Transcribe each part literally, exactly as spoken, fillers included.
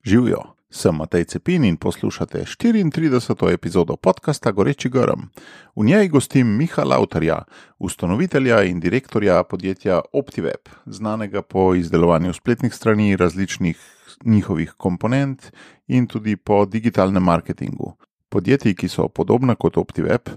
Živjo, sem Matej Cepin in poslušate štiriintrideseto epizodo podcasta Goreči grm. V njej gostim Miha Lavtarja, ustanovitelja in direktorja podjetja OptiWeb, znanega po izdelovanju spletnih strani, različnih njihovih komponent in tudi po digitalnem marketingu. Podjetij, ki so podobna kot OptiWeb,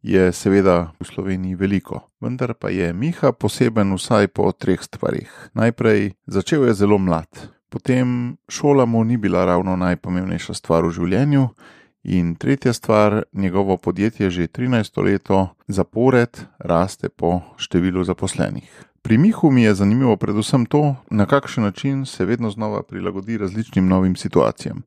je seveda v Sloveniji veliko, vendar pa je Miha poseben vsaj po treh stvarih. Najprej, začel je zelo mlad. Potem šola mu ni bila ravno najpomembnejša stvar v življenju in tretja stvar, njegovo podjetje že trinajsto leto zapored raste po številu zaposlenih. Pri Mihu mi je zanimivo predvsem to, na kakšen način se vedno znova prilagodi različnim novim situacijam.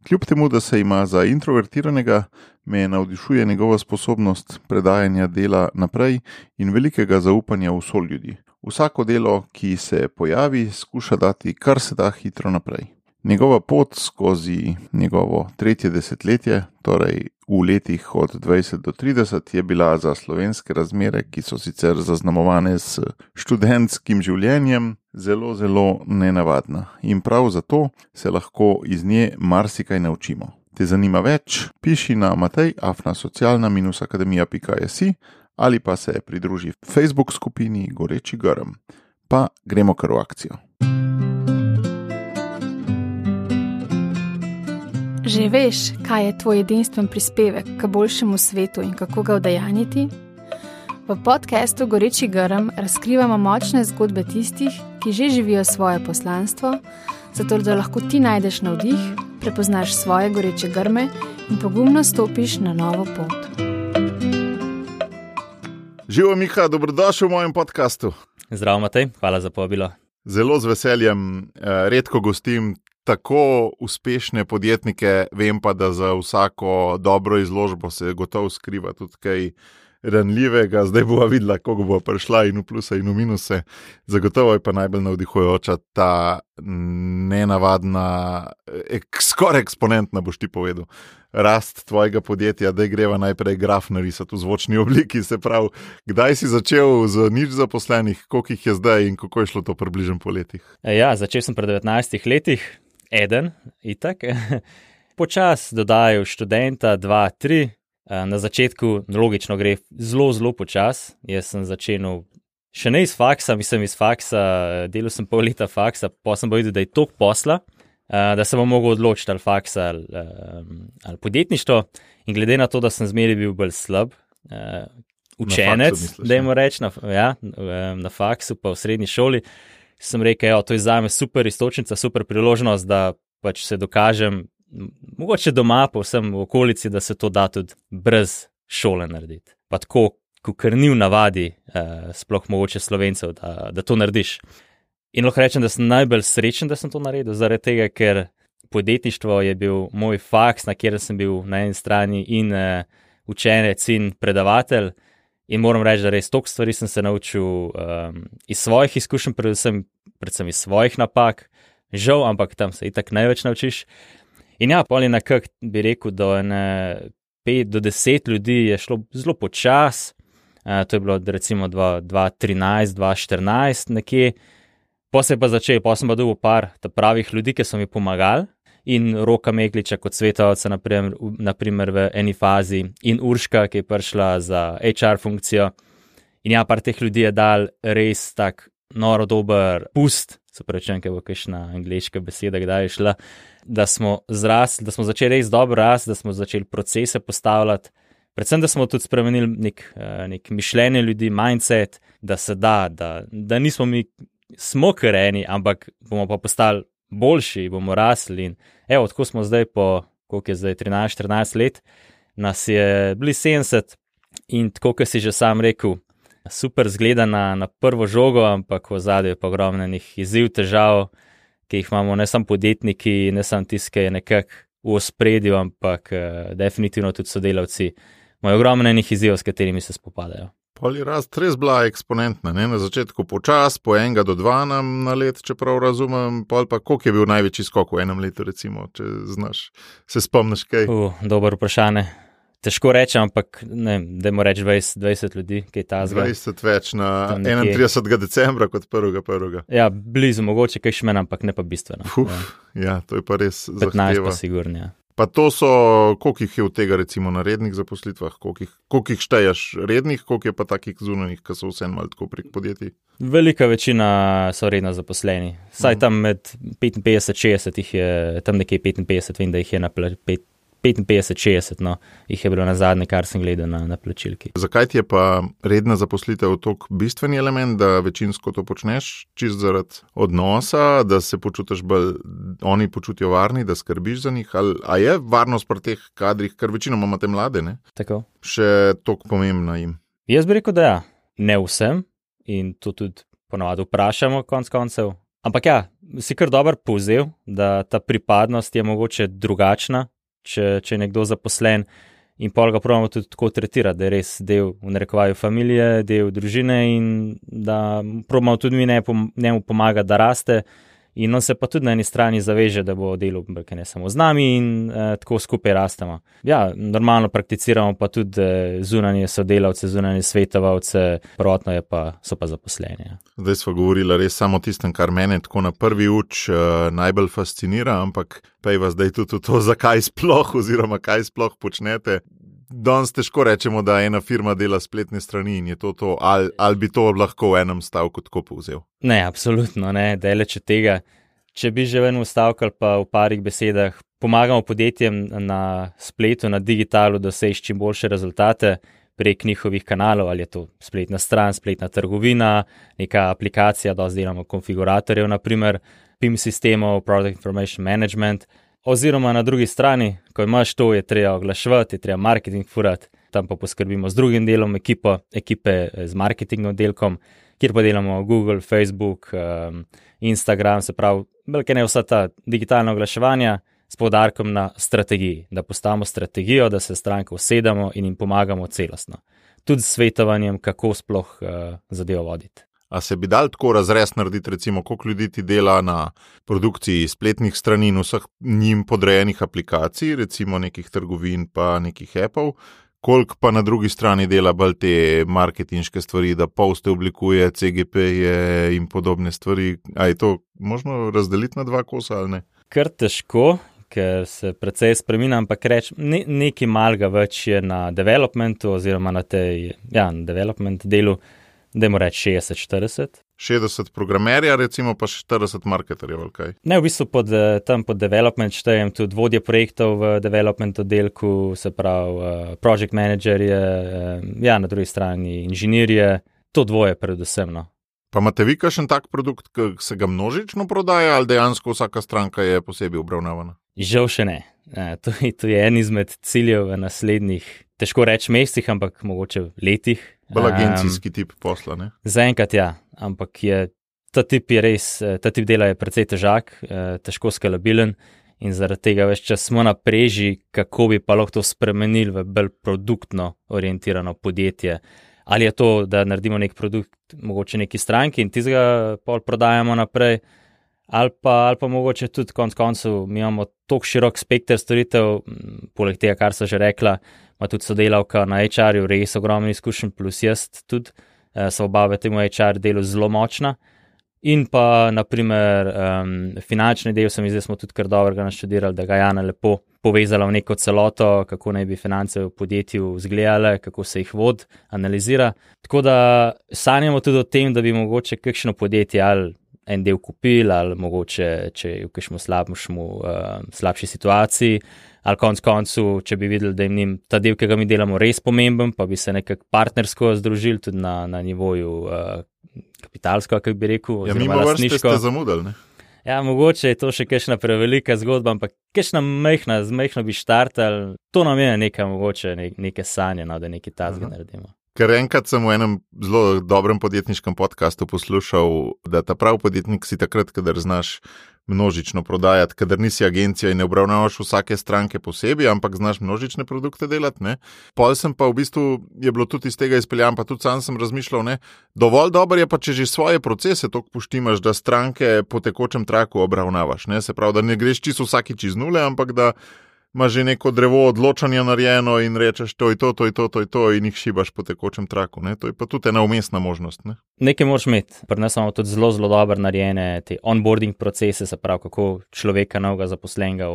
Kljub temu, da se ima za introvertiranega, me navdišuje njegova sposobnost predajanja dela naprej in velikega zaupanja v soljudi. Vsako delo, ki se pojavi, skuša dati kar se da hitro naprej. Njegova pot skozi njegovo tretje desetletje, torej v letih od dvajset do trideset, je bila za slovenske razmere, ki so sicer zaznamovane s študentskim življenjem, zelo, zelo nenavadna. In prav zato se lahko iz nje marsikaj naučimo. Te zanima več? Piši na matej afna socialna minus akademija pika si ali pa se pridruži Facebook skupini Goreči grm. Pa gremo kar v akcijo. Že veš, kaj je tvoj edinstven prispevek k boljšemu svetu in kako ga udejanjiti? V podcastu Goreči grm razkrivamo močne zgodbe tistih, ki že živijo svoje poslanstvo, zato da lahko ti najdeš navdih, prepoznaš svoje goreče grme in pogumno stopiš na novo pot. Živo, Miha, dobrodošel v mojem podcastu. Zdravo, Matej, hvala za povabilo. Zelo z veseljem, redko gostim tako uspešne podjetnike, vem pa, da za vsako dobro izložbo se gotovo skriva tudi kaj ranljivega. Zdaj bova videla, koga bo prišla in v pluse in v minuse. Zagotovo je pa najbolj navdihujoča ta nenavadna, ek, skoraj eksponentna, boš ti povedal, rast tvojega podjetja, da greva najprej graf narisati v zvočni obliki, se pravi, kdaj si začel z nič zaposlenih, koliko jih je zdaj in kako je šlo to približno po letih? Ja, začel sem pri devetnajstih letih, eden, itak. Počas dodajal študenta, dva, tri. Na začetku logično gre zelo, zelo počas. Jaz sem začel še ne iz faksa, mislim iz faksa, delal sem pol leta faksa, pa sem povedal, da je toliko posla, da se bom mogel odločiti ali faksa ali, ali podjetništvo. In glede na to, da sem zmeraj bil bolj slab učenec, dajmo reči, na, ja, na faksu pa v srednji šoli, sem rekel, jo, to je zame super istočnica, super priložnost, da pač se dokažem, mogoče doma, pa vsem v okolici, da se to da tudi brez šole narediti. Pa tako, kakor ni v navadi, eh, sploh mogoče Slovencev, da, da to narediš. In lahko rečem, da sem najbolj srečen, da sem to naredil, zaradi tega, ker podjetništvo je bil moj faks, na kjer sem bil na eni strani in eh, učenec in predavatelj. In moram reči, da res toliko stvari sem se naučil um, iz svojih izkušenj, predvsem, predvsem iz svojih napak. Žal, ampak tam se itak največ naučiš. In ja, pol je nekak, bi rekel, do ene pet do deset ljudi je šlo zelo počas. Uh, to je bilo recimo dva trinajst, dva štirinajst nekje. Po se je pa začel, po sem pa dobil par pravih ljudi, ki so mi pomagali. In Roka Megliča kot svetovalca, naprimer, naprimer v eni fazi, in Urška, ki je prišla za H R funkcijo. In ja, par teh ljudi je dal res tak noro dober pust, se pravi, kaj bo kakšna angleška beseda, kdaj je šla, da smo zrasli, da smo začeli res dobro rasti, da smo začeli procese postavljati, predvsem, da smo tudi spremenili nek, nek mišljenje ljudi, mindset, da se da, da, da nismo mi smo kareni, ampak bomo pa postali boljši, bomo rasli in evo, tako smo zdaj po, koliko je zdaj, trinajst štirinajst let, nas je bili sedemdeset in tako, kot si že sam rekel, super zgleda na, na prvo žogo, ampak v zadju je pa ogromno enih izziv, težav, ki jih imamo ne samo podjetniki, ne samo tisti, ki je nekako v ospredju, ampak uh, definitivno tudi sodelavci imajo ogromno enih izzivov, s katerimi se spopadajo. Pol je rast res bila eksponentna, ne? Na začetku počas, po enega do dva nam na let, čeprav razumem, pol pa koliko je bil največji skok v enem letu, recimo, če znaš, se spomniš kaj? Uh, dober vprašanje. Težko rečem, ampak ne, dajmo reči dvajset, dvajset ljudi, kaj ta zgleda. dvajset več na enaintridesetega decembra kot prvega prvega. Ja, blizu, mogoče kaj še meni, ampak ne pa bistveno. Uf, ja. ja, to je pa res zahteva. petnajst pa sigurno, ja. Pa to so, koliko jih je od tega recimo na rednih zaposlitvah, koliko jih, koliko jih šteješ rednih, koliko je pa takih zunanjih, ki so vseeno malo tako prek podjetij? Velika večina so redno zaposleni. Saj uh-huh. tam med petinpetdeset šestdeset jih je, tam nekje petinpetdeset, vem, da jih je na pet, petinpetdeset šestdeset, no, jih je bilo na zadnje, kar sem gledal na, na plačilki. Zakaj ti je pa redna zaposlitev tok bistveni element, da večinsko to počneš, čist zaradi odnosa, da se počutiš bolj, oni počutijo varni, da skrbiš za njih, ali a je varnost pri teh kadrih, ker večinoma imate mlade, ne? Tako. Še tok pomembna jim? Jaz bi rekel, da ja, ne vsem in to tudi ponovadi vprašamo konc koncev, ampak ja, si kar dober povzel, da ta pripadnost je mogoče drugačna, Če, če je nekdo zaposlen in pol ga probamo tudi tako tretirati, da je res del v narekovaju familije, del družine in da probamo tudi mi ne, njemu pomagati, da raste in on se pa tudi na eni strani zaveže, da bo delal ne samo z nami in eh, tako skupaj rastemo. Ja, normalno prakticiramo pa tudi eh, zunanje sodelavce, zunanje svetovalce, prvotno je pa, so pa zaposleni. Ja. Zdaj smo govorili res samo o tistem, kar mene tako na prvi uč uh, najbolj fascinira, ampak pejva zdaj tudi to, zakaj sploh oziroma kaj sploh počnete. Danes težko rečemo, da ena firma dela spletne strani in je to to, ali, ali bi to lahko v enem stavku tako povzel? Ne, absolutno ne, daleč od tega. Če bi že v enem stavku ali pa v parih besedah pomagamo podjetjem na spletu, na digitalu, da doseči čim boljše rezultate prek njihovih kanalov, ali je to spletna stran, spletna trgovina, neka aplikacija, dosti delamo konfiguratorjev, naprimer P I M sistemov, Product Information Management, oziroma na drugi strani, ko imaš to, je treba oglaševati, je treba marketing furati, tam pa poskrbimo z drugim delom ekipo, ekipe z marketing oddelkom, kjer pa delamo Google, Facebook, um, Instagram, se pravi, velike ne vsa ta digitalna oglaševanja s poudarkom na strategiji, da postavimo strategijo, da se stranke usedamo in jim pomagamo celostno. Tudi s svetovanjem, kako sploh uh, zadevo voditi. A se bi dal tako razrez narediti, recimo, koliko ljudi ti dela na produkciji spletnih strani in vseh njim podrejenih aplikacij, recimo nekih trgovin pa nekih appov, koliko pa na drugi strani dela bolj te marketinške stvari, da poste oblikuje, C G P-je in podobne stvari. A je to možno razdeliti na dva kosa ali ne? Kar težko, ker se precej spreminja, ampak reč, ne, nekaj malega več je na developmentu oziroma na tej, ja, na development delu, dajmo reči šestdeset štirideset. šestdeset programerja, recimo pa štirideset marketerjev, ali kaj? Ne, v bistvu pod, tam pod development štejem tudi vodje projektov v development oddelku, se pravi project managerje, ja, na drugi strani inženirje, to dvoje predvsem, no. Pa imate vi kakšen tak produkt, ki se ga množično prodaja, ali dejansko vsaka stranka je posebej obravnavana? Žal še ne. To, to je en izmed ciljev v naslednjih, težko reči mesecih, ampak mogoče letih. Bolj agencijski um, tip posla, ne? Zaenkrat ja, ampak je, ta tip je res, ta tip dela je precej težak, težko skalabilen in zaradi tega več čas smo na preži, kako bi pa lahko to spremenili v bolj produktno orientirano podjetje. Ali je to, da naredimo nek produkt, mogoče neki stranki in tizga pol prodajamo naprej, ali pa, ali pa mogoče tudi konc koncev, mi imamo toliko širok spekter storitev, poleg tega, kar so že rekla, ima tudi sodelavka na H R-ju, res ogromno izkušenj, plus jaz tudi, so oba v temu H R delu zelo močna. In pa, naprimer, um, finančni del se mi zdaj smo tudi kar dobrega naštudirali, da ga Jana lepo povezala v neko celoto, kako naj bi finance v podjetju izgledale, kako se jih vod, analizira. Tako da sanjamo tudi o tem, da bi mogoče kakšno podjetje ali en del kupili, ali mogoče, če je v kakšnem slabšmu, uh, slabši situaciji, ali konc koncu, če bi videli, da jim ta del, ki ga mi delamo, res pomemben, pa bi se nekako partnersko združili tudi na, na nivoju uh, kapitalsko, kako bi rekel, ja, oziroma lastniško. Ja, mimo vrste ste zamudili, ne? Ja, mogoče je to še kakšna prevelika zgodba, ampak kakšna mehna, z mehno bi štartali, to nam je neka mogoče, ne, neke sanje, no, da nekaj tazga naredimo. Ker enkrat sem v enem zelo dobrem podjetniškem podcastu poslušal, da ta prav podjetnik si takrat, kadar znaš množično prodajati, kadar nisi agencija in ne obravnavaš vsake stranke posebej, ampak znaš množične produkte delati, ne. Pol sem pa v bistvu, je bilo tudi iz tega izpeljan, pa tudi sam sem razmišljal, ne, dovolj dobro je pa, če že svoje procese toliko poštimaš, da stranke po tekočem traku obravnavaš, ne, se pravi, da ne greš čisto vsakič iz nule, ampak da imaš že neko drevo odločanja narejeno in rečeš, to je to, to je to, to je to in jih šibaš po tekočem traku. Ne? To je pa tudi ena umestna možnost. Ne? Nekaj moraš imeti. Pri nas imamo tudi zelo, zelo dobro narejene te onboarding procese, se pravi, kako človeka novega zaposlenega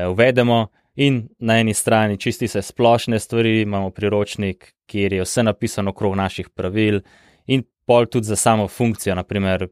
uvedemo. In na eni strani čisti se splošne stvari, imamo priročnik, kjer je vse napisano okrog naših pravil in pol tudi za samo funkcijo, naprimer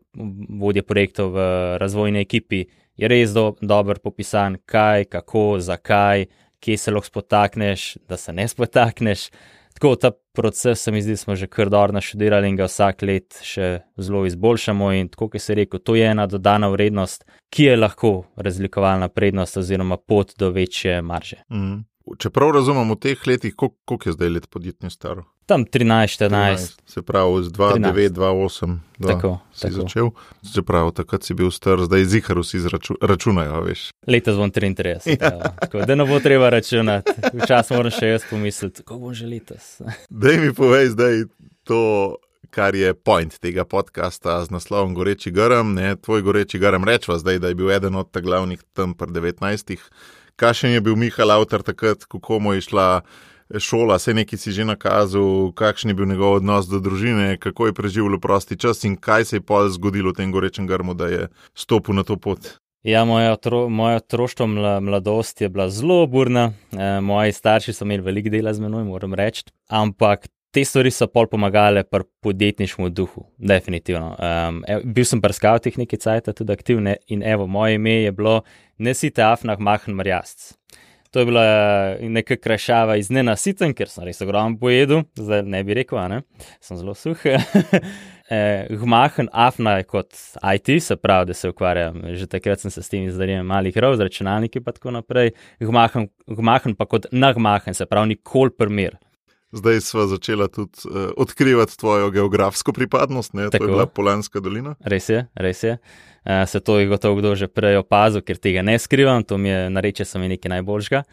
vodje projektov v razvojni ekipi, je res do, dober popisan, kaj, kako, zakaj, kje se lahko spotakneš, da se ne spotakneš. Tako ta proces se mi zdi, smo že kar dobro naštudirali in ga vsak let še zelo izboljšamo in tako, kot si rekel, to je ena dodana vrednost, ki je lahko razlikovalna prednost oziroma pot do večje marže. Mm. Čeprav razumem v teh letih, koliko, koliko je zdaj let podjetnje staro? Tam trinajst, štirinajst. Se pravi, z dva devet, dva osem tako, si tako. začel. Se pravi, takrat si bil star, zdaj zihar vsi zraču, računajo, veš. Letos bom triintrideset, ja. Tako da ne bo treba računati. Včasih moram še jaz pomisliti, kako bom že letos. Daj mi povej zdaj to, kar je point tega podcasta z naslovom Goreči grm, ne, tvoj Goreči grm, rečva zdaj, da je bil eden od ta glavnih tam pri devetnajstih. Kakšen je bil Miha Lautar takrat, kako mu je šla šola, se nekaj si že nakazal, kakšen je bil njegov odnos do družine, kako je preživel prosti čas in kaj se je pol zgodilo v tem gorečem grmu, da je stopil na to pot? Ja, moja, otro, moja otroštvo mla, mladost je bila zelo burna, e, moji starši so imeli veliko dela z menoj, moram reči, ampak te stvari so pol pomagale pri podjetniškem duhu, definitivno. Um, ev, bil sem pri skavtih nekaj cajta tudi aktivne in evo, moje ime je bilo Nesite afnah machen marjasc. To je bila neka krajšava iz nenasiten, ker sem res ogromno pojedel, zdaj ne bi rekel, a ne, sem zelo suh. Gmachen afna je kot I T, se pravi, da se ukvarjam, že takrat sem se s tem izdarjem malih rov, z računalniki pa tako naprej. Gmachen, gmachen pa kot nagmachen, se pravi, nikoli primer. Zdaj sva začela tudi uh, odkrivati tvojo geografsko pripadnost, ne? To je bila Polanska dolina. Res je, res je. Uh, se to je gotovo kdo že prej opazil, ker tega ne skrivam, to mi je, nareče so mi nekaj najboljšega.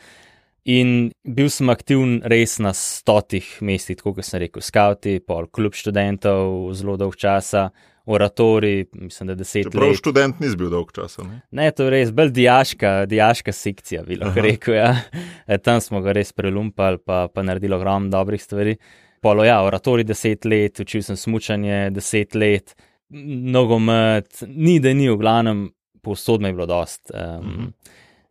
In bil sem aktivn res na stotih mestih, tako kot sem rekel, skauti, pol klub študentov, zelo dolg časa, oratori, mislim, da deset let. Čeprav študent nis bil dolg časa, ne? Ne, to je res, bolj dijaška, dijaška sekcija, bi lahko rekel, ja. E, tam smo ga res prelumpali, pa, pa naredili ogromno dobrih stvari. Polo, ja, oratori deset let, učil sem smučanje deset let, nogomet, ni da ni, v glavnem, povsod me je bilo dost. Um, mm-hmm.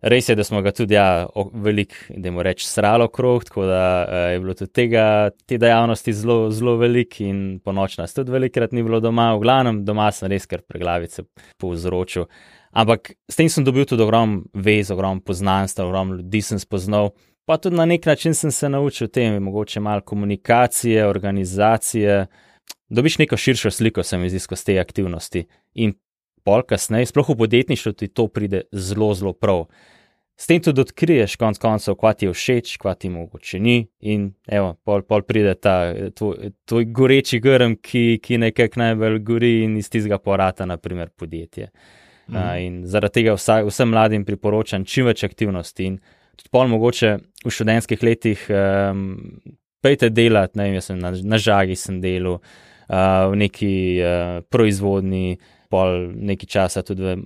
Res je, da smo ga tudi, ja, veliko, dajmo reči, sralo okrog, tako da uh, je bilo tudi tega, te dejavnosti zelo, zelo veliko in po noč nas tudi velikrat ni bilo doma, v glavnem doma sem res kar preglavice povzročil. Ampak s tem sem dobil tudi ogrom vez, ogrom poznanstva, ogrom ljudi sem spoznal, pa tudi na nek način sem se naučil tem, mogoče malo komunikacije, organizacije, dobiš neko širšo sliko, se mi zdi, skozi te aktivnosti in pol kasneje, sploh v podjetništvu ti to pride zelo, zelo prav. S tem tudi odkriješ konc koncev, kva ti je všeč, kva ti mogoče ni in evo, pol, pol pride ta tvoj, tvoj goreči grm, ki, ki nekako najbolj gori in iz tistega porata, naprimer, podjetje. Mm. Uh, in zaradi tega vsa, vsem mladim priporočam čim več aktivnosti in tudi pol mogoče v študentskih letih um, pejte delati, ne vem, jaz sem na, na žagi sem delal, uh, v neki uh, proizvodni, pol nekaj časa tudi v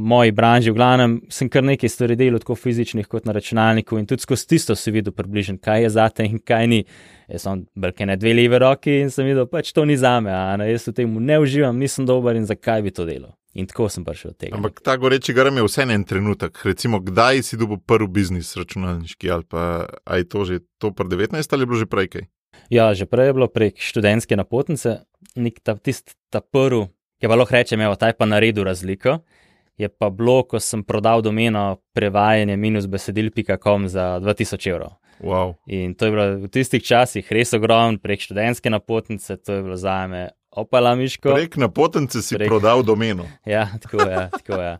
moji branži, v glavnem sem kar nekaj stvari delal, tako fizičnih kot na računalniku in tudi skozi tisto si videl približen, kaj je zate in kaj ni. Jaz sem brke ne dve leve roki in sem videl, pač to ni zame, a ne, jaz v temu ne uživam, nisem dober in zakaj bi to delal. In tako sem prišel od tega. Ampak ta goreči grm je vse en trenutek, recimo, kdaj si dobil prvi biznis računalniški ali pa, a je to že to pri devetnajst ali je bilo že prej kaj? Ja, že prej je bilo prek študentske napotnice, nek ta, tist, ta prvi, ki pa lahko rečem, evo, ta je pa naredil razliko, je pa bilo, ko sem prodal domeno prevajanje minus besedil pika com za dva tisoč evrov. Wow. In to je bilo v tistih časih res ogromno, prek študentske napotnice, to je bilo zame opala miško. Prek napotnice si prek... prodal domeno. Ja, tako je, tako je.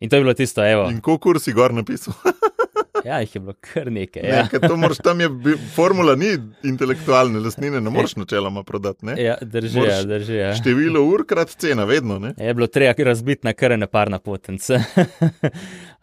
In to je bilo tisto, evo. In koliko si gor napisal? Ja, jih je bilo kar nekaj. Ja. Ne, to moraš, tam je, formula ni intelektualne lastnine, ne moreš načeloma prodati, ne? Ja, drži, ja, drži, ja. Število ur krat cena, vedno, ne? Je bilo treba razbiti na kar ene par napotnice.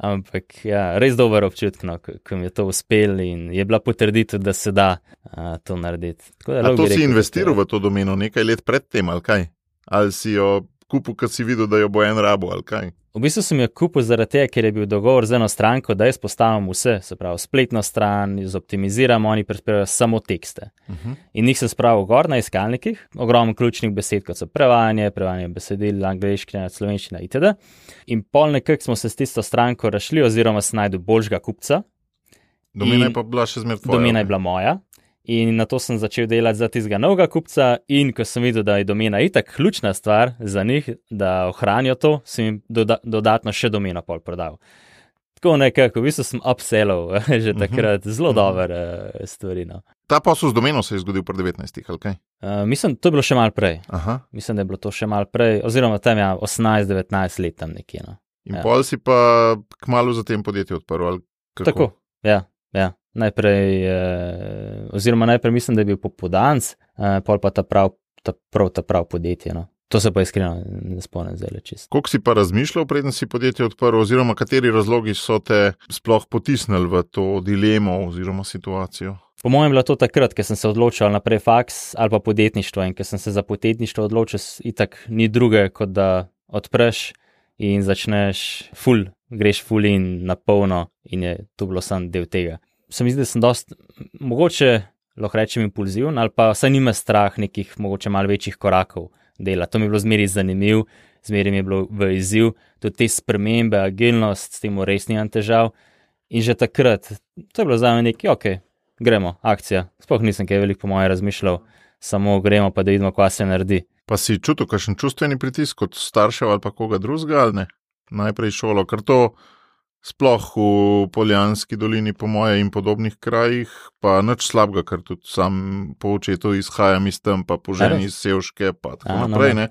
Ampak, ja, res dober občutek, no, ko mi je to uspel in je bila potrditev, da se da a, to narediti. Da, a to si rekel, investiral v to domeno nekaj let pred tem, ali kaj? Ali si jo kupil, kad si videl, da jo bo en rabo, ali kaj? V bistvu sem jo kupil zaradi tega, ker je bil dogovor z eno stranko, da jaz postavim vse, se pravi spletno stran, zoptimiziram, oni prispevajo samo tekste. Uh-huh. In njih sem spravil gor na iskalnikih, ogromno ključnih besed, kot so prevajanje, prevajanje besedil, angleščina, slovenščina itd. In pol nekako smo se s tisto stranko rašli, oziroma sem najdel boljšega kupca. Domena je pa bila še zmer tvoja. Domena je bila moja. In na to sem začel delati za tistega novega kupca in ko sem videl, da je domena itak ključna stvar za njih, da ohranijo to, sem jim doda- dodatno še domeno pol prodal. Tako nekako, v bistvu sem upsellal že takrat, zelo uh-huh. dober uh, stvari. No. Ta posel z domeno se je zgodil pri devetnajstih, ali kaj? Uh, mislim, to je bilo še malo prej. Aha. Mislim, da je bilo to še malo prej, oziroma tam ja, osemnajst devetnajst let tam nekje. No. In ja. pol si pa kmalu za tem podjetje odprl, ali kako? Tako, ja, ja. Najprej, eh, oziroma najprej mislim, da je bil popodanc, eh, pol pa ta prav, ta prav, ta prav podjetje. No. To se pa iskreno ne spomnim zdaj čisto. Koliko si pa razmišljal, preden si podjetje odprl, oziroma kateri razlogi so te sploh potisnili v to dilemo oziroma situacijo? Po mojem je bilo to takrat, ker sem se odločil naprej faks ali pa podjetništvo in ker sem se za podjetništvo odločil, itak ni druge, kot da odpreš in začneš ful, greš ful in na polno in je to bilo sam del tega. Se mi zdi, da sem dost, mogoče, lahko rečem, impulziven ali pa saj nima strah nekih mogoče malo večjih korakov dela. To mi je bilo zmeri zanimiv, zmeri mi je bilo v izziv, tudi te spremembe, agilnost, s tem res nimam težav. In že takrat, to je bilo za me nekaj, ok, gremo, akcija. Sploh nisem kaj veliko po moje razmišljal, samo gremo pa da vidimo, kva se naredi. Pa si čutil kakšen čustveni pritisk kot staršev ali pa koga drugega, ali ne? Najprej šolo, ker to sploh v Poljanski dolini po moje in podobnih krajih, pa nič slabega, ker tudi sam po očetu izhajam iz tam, pa po ženi iz Sevške, pa tako A, naprej, no, ne.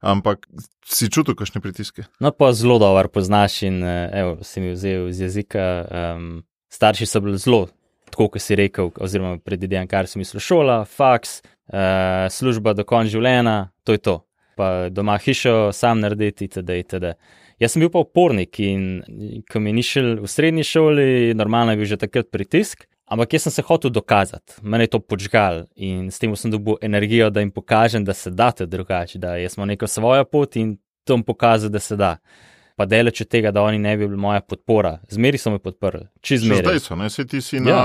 Ampak si čutil kakšne pritiske? No, pa zelo dober poznaš in evo, si mi vzel iz jezika. Um, starši so bili zelo, tako kot si rekel, oziroma predvidevam, kar si mislil, šola, faks, uh, služba do konca življenja, to je to. Pa doma hišo sam narediti, itd., itd. Jaz sem bil pa upornik in ko mi ni šel v srednji šoli, normalno je bil že takrat pritisk, ampak jaz sem se hotel dokazati. Mene je to počgal in s tem sem dobil energijo, da jim pokažem, da se da to drugače, da jaz smo neko svojo pot in to jim pokazal, da se da. Pa deleč od tega, da oni ne bi bili moja podpora. Zmeri so me podprli, čez zmeri. Še zdaj so, ne? Se ti si ja. na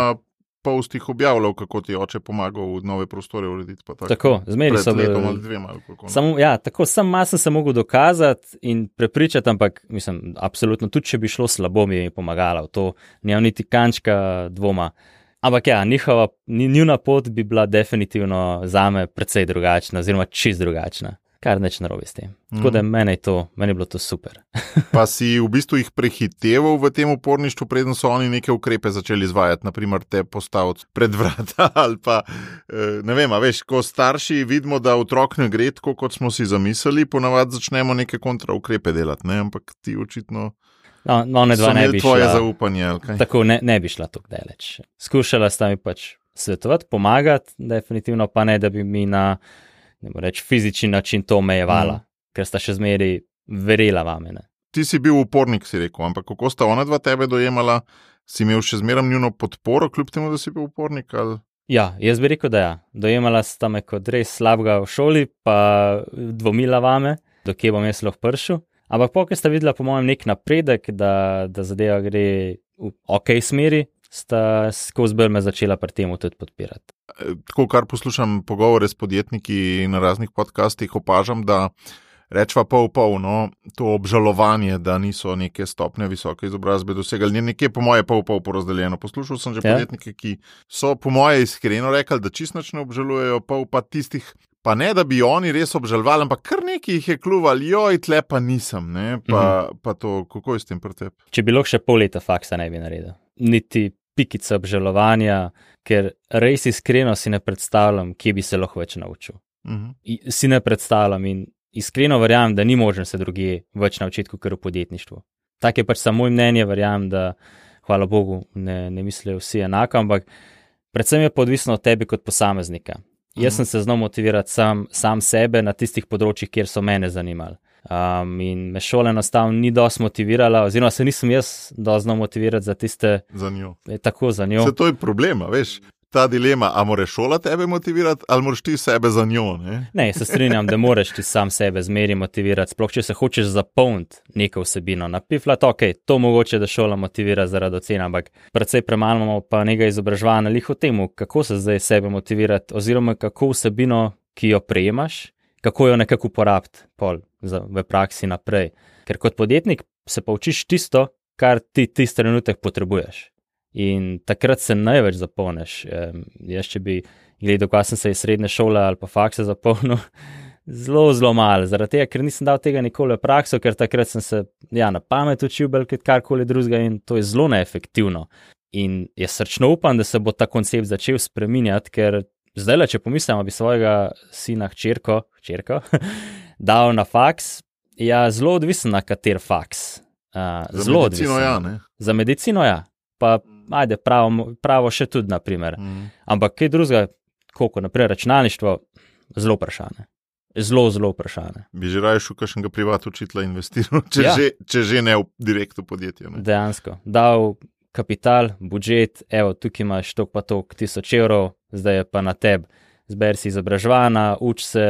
postih objavljal, kako ti oče pomagal v nove prostore urediti. Pa tako, tako zmeri so bili. Pred letom ali dvema. Samo, ja, tako, sam malo sem se mogel dokazati in prepričati, ampak mislim, absolutno, tudi če bi šlo slabo, mi je pomagala v to, nimam niti kančka dvoma. Ampak ja, njihova, njuna pot bi bila definitivno zame precej drugačna, oziroma čist drugačna. Kar neč narobe s tem. Tako da meni je to, meni je bilo to super. Pa si v bistvu jih prehiteval v tem uporništvu, preden so oni neke ukrepe začeli izvajati, naprimer te postaviti pred vrata ali pa, ne vem, a veš, ko starši vidimo, da otrok ne gre tako, kot smo si zamislili, ponavadi začnemo neke kontraukrepe delati, ne, ampak ti očitno no, no, ne so imeli tvoje šla, zaupanje, ali kaj? Tako, ne, ne bi šla tako daleč. Skušala sta mi pač svetovati, pomagati, definitivno pa ne, da bi mi na ne bo reč, fizični način to omejevala, mm. ker sta še zmeri verjela vame. Ne. Ti si bil upornik, si rekel, ampak kako sta ona dva tebe dojemala, si imel še zmeram njuno podporo, kljub temu, da si bil upornik? Ali? Ja, jaz bi rekel, da ja. Dojemala sta me kot res slabega v šoli, pa dvomila vame, do kje bom jaz lahko prišel. Ampak pokaj sta videla po mojem nek napredek, da, da zadeva gre v ok smeri, sta skozi bolj me začela pri temu tudi podpirati. Tako, kar poslušam pogovore s podjetniki na raznih podcastih, opažam, da rečva pol pol, no, to obžalovanje, da niso neke stopnje visoke izobrazbe dosegali, nekje po moje pol pol porazdeljeno. Poslušal sem že ja. podjetnike, ki so po moje iskreno rekli, da čisto nič ne obžalujejo, pol pa tistih, pa ne, da bi oni res obžalovali, ampak kar nekaj jih je kluvali, joj, tle pa nisem, ne, pa, mhm. pa to, kako je s tem pri tebi? Če bi lahko še pol leta faksa ne bi naredil. Niti pikica obžalovanja, ker res iskreno si ne predstavljam, kje bi se lahko več naučil. Uh-huh. Si ne predstavljam in iskreno verjamem, da ni možno se drugje več naučiti, kot v podjetništvu. Tak je pač samo mnenje, verjamem, da hvala Bogu ne, ne mislijo vsi enako, ampak predvsem je podvisno od tebe kot posameznika. Uh-huh. Jaz sem se znal motivirati sam, sam sebe na tistih področjih, kjer so mene zanimali. Um, in me šola enostavno ni dosti motivirala, oziroma se nisem jaz dosti znal motivirati za tiste... Za njo. Tako, za njo. Se to je problema, veš. ta dilema, a moraš šola tebe motivirati, ali moraš ti sebe za njo, ne? Ne, se strinjam, da moraš ti sam sebe zmeri motivirati, sploh če se hočeš zapolniti neko vsebino. Na piflat, ok, to mogoče, da šola motivira zaradi ocena, ampak precej premalo imamo pa nekaj izobraževanja lih o temu, kako se zdaj sebe motivirati, oziroma kako vsebino, ki jo prejemaš, kako jo nekako uporabiti pol za, v praksi naprej. Ker kot podjetnik se pa učiš tisto, kar ti tisti trenutek potrebuješ. In takrat se največ zapolniš. E, jaz, če bi gledal, kaj sem se iz srednje šole ali pa fakse zapolnil, zelo, zelo malo. Zaradi tega, ker nisem dal tega nikoli v prakso, ker takrat sem se ja, na pamet učil, belj karkoli drugega in to je zelo neefektivno. In jaz srčno upam, da se bo ta koncept začel spreminjati, ker zdaj, če pomislim, bi svojega sina hčerko, hčerko dal na faks, ja, zelo odvisen na kater faks. Uh, za medicino odvisen. Ja, ne? Za medicino ja. Pa ajde, pravo, pravo še tudi, naprimer. Mm. Ampak kaj drugega, koliko, naprimer, računalništvo, zelo vprašanje. Zelo, zelo vprašanje. Bi že raje šel kakšnega privat učitla investiral, če, ja. že, če že ne v direktno podjetje. Ne? Dejansko. Dal kapital, budžet, evo, tukaj imaš tok pa tok tisoč evrov, zdaj je pa na tebi. Zber si izobraževana, uč se,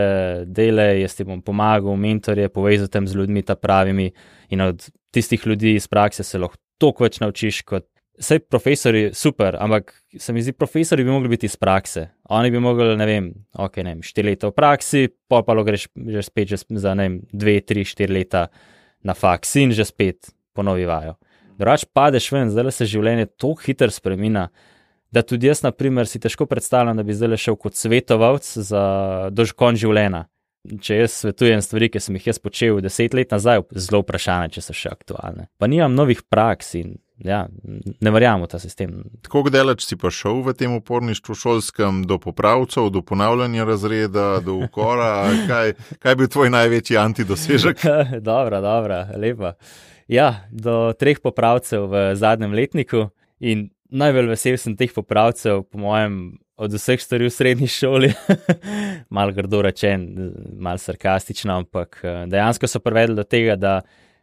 delaj, jaz ti bom pomagal, mentorje, povezal tem z ljudmi ta pravimi in od tistih ljudi iz prakse se lahko toliko več naučiš kot Sej profesori super, ampak se mi zdi, profesori bi mogli biti iz prakse. Oni bi mogli, ne vem, ok, ne vem, štiri leta v praksi, pol pa lo greš že spet že za, ne vem, dve, tri, štiri leta na faks in že spet ponovi vajo. Drugač padeš ven, zdaj se življenje toliko hitro spremina, da tudi jaz, na primer, si težko predstavljam, da bi zdaj šel kot svetovalc za dožkon življenja. Če jaz svetujem stvari, ki sem jih jaz počel deset let nazaj, zelo vprašanje, če so še aktualne. Pa nimam novih praks in ja, ne verjamem v ta sistem. Tako daleč si pa šel v tem uporništvu šolskem, do popravcev, do ponavljanja razreda, do ukora, kaj, kaj bi tvoj največji antidosežek? Dobra, dobra, lepa. Ja, do treh popravcev v zadnjem letniku in najbolj vesel sem teh popravcev, po mojem, od vseh stvari v srednji šoli. Mal grdo rečen, mal sarkastično, ampak dejansko so privedli do tega, da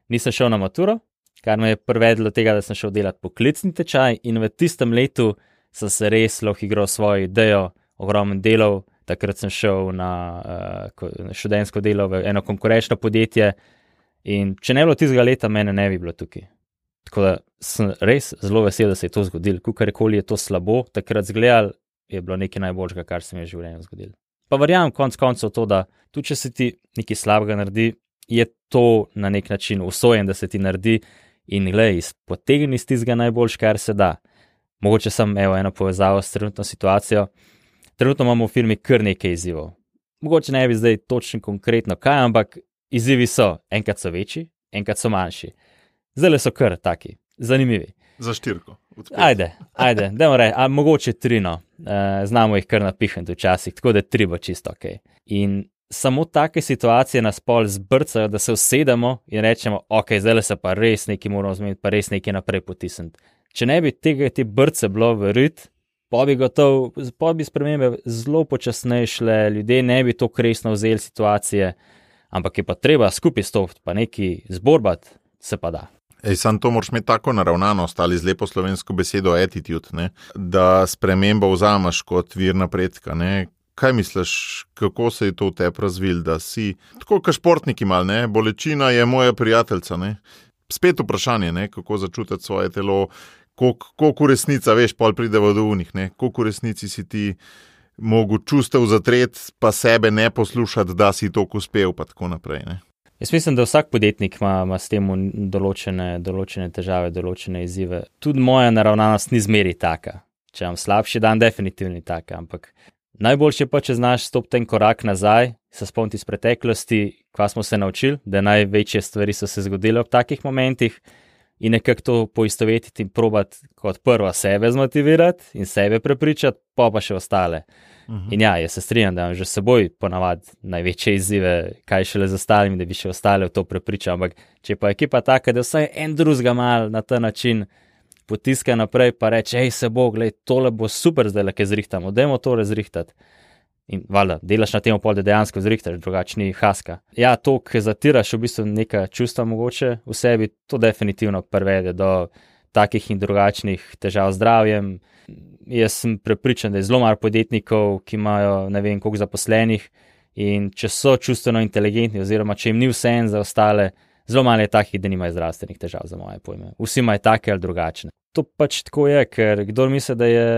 nisem šel na maturo, kar me je privedlo do tega, da sem šel delati poklicni tečaj in v tistem letu sem se res lahko igral svojo idejo, ogromen delov. Takrat sem šel na uh, študentsko delo v eno konkurenčno podjetje in če ne bilo tistega leta, mene ne bi bilo tukaj. Tako da sem res zelo vesel, da se je to zgodilo. Kukarkoli je to slabo, takrat zgledal, je bilo nekaj najboljšega, kar se mi je v življenju zgodilo. Pa verjamem konc koncev to, da tudi če se ti nekaj slabega naredi, je to na nek način usojen, da se ti naredi in glej, potegni iz tistega najboljš, kar se da. Mogoče sem evo eno povezavo s trenutno situacijo. Trenutno imamo v firmi kar nekaj izzivov. Mogoče ne bi zdaj točno konkretno kaj, ampak izzivi so, enkrat so večji, enkrat so manjši. Zdaj so kar taki, zanimivi. Za štirko. Ajde, ajde, dajmo reči, a mogoče trino. E, znamo jih kar napihniti včasih, tako da tri bo čisto ok. In samo take situacije nas pol zbrcajo, da se usedemo in rečemo, ok, zdaj se pa res nekaj moramo zmeniti, pa res nekaj naprej potisniti. Če ne bi tega te brce bilo v rit, pa bi gotov, pa bi spremembe zelo počasneje šle, ljudje ne bi toliko resno vzeli situacije, ampak je pa treba skupaj stopiti, pa nekaj zborbati, se pa da. Ej, sam to moraš imeti tako naravnanost ali z lepo slovensko besedo attitude, ne? Da spremembo vzameš kot vir napredka. Ne? Kaj misliš, kako se je to v tebi razvil, da si tako kot športniki mal, ne? Bolečina je moja prijateljica. Ne? Spet vprašanje, ne? Kako začutiti svoje telo, koliko v resnica, veš, pol pride v unih, koliko v resnici si ti mogu čustev zatret, pa sebe ne poslušati, da si toliko uspel, pa tako naprej. Ne? Jaz mislim, da vsak podjetnik ima, ima s tem določene, določene težave, določene izzive. Tudi moja naravnanost ni zmeri taka. Če imam slabši dan, definitivno ni taka, ampak najboljše pa, če znaš stopiti ten korak nazaj, se spomniti iz preteklosti, kva smo se naučili, da največje stvari so se zgodile ob takih momentih in nekako to poistovetiti in probati kot prvo sebe zmotivirati in sebe prepričati, pa pa še ostale. Uh-huh. In ja, jaz se strinjam, da imam že s seboj ponavadi največje izzive, kaj šele z ostalimi, da bi še ostale v to prepričal, ampak če pa ekipa taka, da vsaj en drugega mal na ta način potiska naprej, pa reče, hej se bo, glej, tole bo super zdaj, lake zrihtamo, dajmo to razrihtati. In valjda, delaš na tem pol, da dejansko zrihtaš, drugačni haska. Ja, to, ki zatiraš v bistvu neka čustva mogoče v sebi, to definitivno privede do takih in drugačnih težav z zdravjem. jaz sem prepričan, da je zelo malo podjetnikov, ki imajo ne vem koliko zaposlenih in če so čustveno inteligentni oziroma če jim ni vseeno za ostale, zelo malo je takih, da nimajo zdravstvenih težav za moje pojme. Vsi imajo take ali drugačne. To pač tako je, ker kdor misli, da je,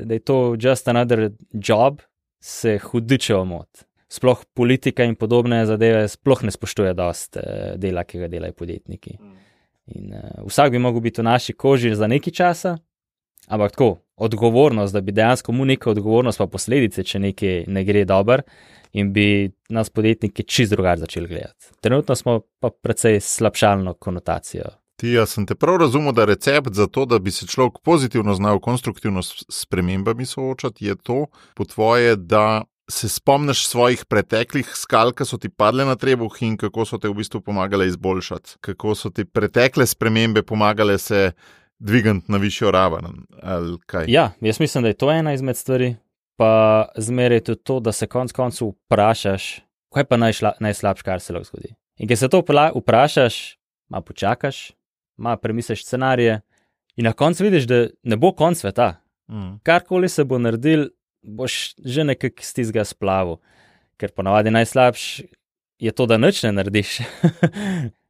da je to just another job, se hudiče omot. Sploh politika in podobne zadeve sploh ne spoštuje dost dela, ki ga delajo podjetniki. In uh, vsak bi mogel biti v naši koži za nekaj časa, ampak tako, odgovornost, da bi dejansko mu neka odgovornost pa posledice, če nekaj ne gre dober in bi nas podjetniki čist drugače začeli gledati. Trenutno smo pa precej slabšalno konotacijo. Ti, jaz sem te prav razumel, da recept za to, da bi se človek pozitivno znal konstruktivno s spremembami soočati, je to po tvoje, da se spomniš svojih preteklih skal, ki so ti padle na trebuh in kako so te v bistvu pomagale izboljšati. Kako so ti pretekle spremembe pomagale se dvigant na višjo raven, ali kaj? Ja, jaz mislim, da je to ena izmed stvari, pa zmeraj tudi to, da se konc koncu vprašaš, kaj pa najšla, najslabš, kar se lahko zgodi. In ker se to vprašaš, malo počakaš, malo premisliš scenarije in na koncu vidiš, da ne bo konc sveta. Mm. Karkoli se bo naredil, boš že nekako z tistega splavil, ker ponavadi najslabš je to, da nič ne narediš.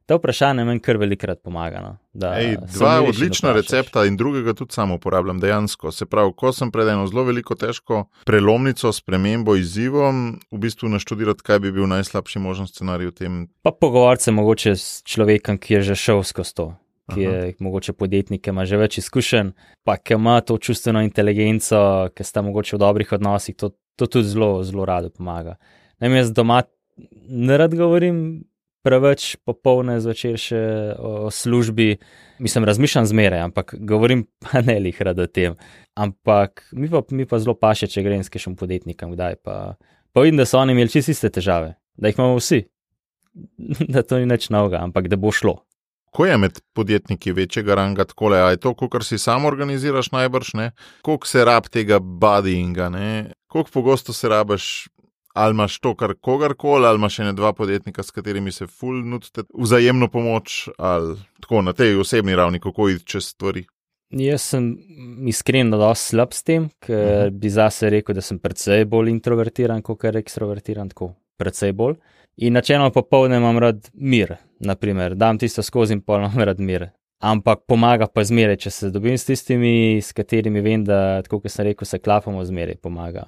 To vprašanje meni kar velikrat pomaga. No? Da Ej, dva odlična recepta in drugega tudi samo uporabljam dejansko. Se pravi, ko sem pred eno zelo veliko težko prelomnico, spremembo, izzivom, v bistvu naštudirati, kaj bi bil najslabši možen scenarij v tem. Pa pogovarjati se mogoče s človekom, ki je že šel skozi to, ki je Aha. mogoče podjetnik, ki ima že več izkušenj, pa ki ima to čustveno inteligenco, ki sta mogoče v dobrih odnosih, to, to tudi zelo, zelo rado pomaga. Najem jaz doma ne rad govorim preveč popolne zvečer še o, o službi, mislim, razmišljam zmeraj, ampak govorim pa ne lih rad o tem. Ampak mi pa, mi pa zelo paše, če grem s kakšnim podjetnikom, kdaj pa, pa vidim, da so oni imeli čisto iste težave, da jih imamo vsi, da to ni nič novega, ampak da bo šlo. Ko je med podjetniki večjega ranga takole, a je to, kakor si sam organiziraš najbrž, ne? Koliko se rab tega buddyinga, ne? Koliko pogosto se rabaš, ali imaš to kar kogarkoli, ali imaš še ne dva podjetnika, s katerimi se ful nudite vzajemno pomoč, ali tako na tej osebni ravni, kako iti čez stvari? Jaz sem iskreno dosti slab s tem, ker uh-huh. bi zase rekel, da sem precej bolj introvertiran, kot je ekstrovertiran, tako precej bolj. In načeloma popoldne imam rad mir, naprimer, dam tisto skozi in pol imam rad mir. Ampak pomaga pa zmeraj, če se dobim s tistimi, s katerimi vem, da, tako kot sem rekel, se klapamo, zmeraj pomaga.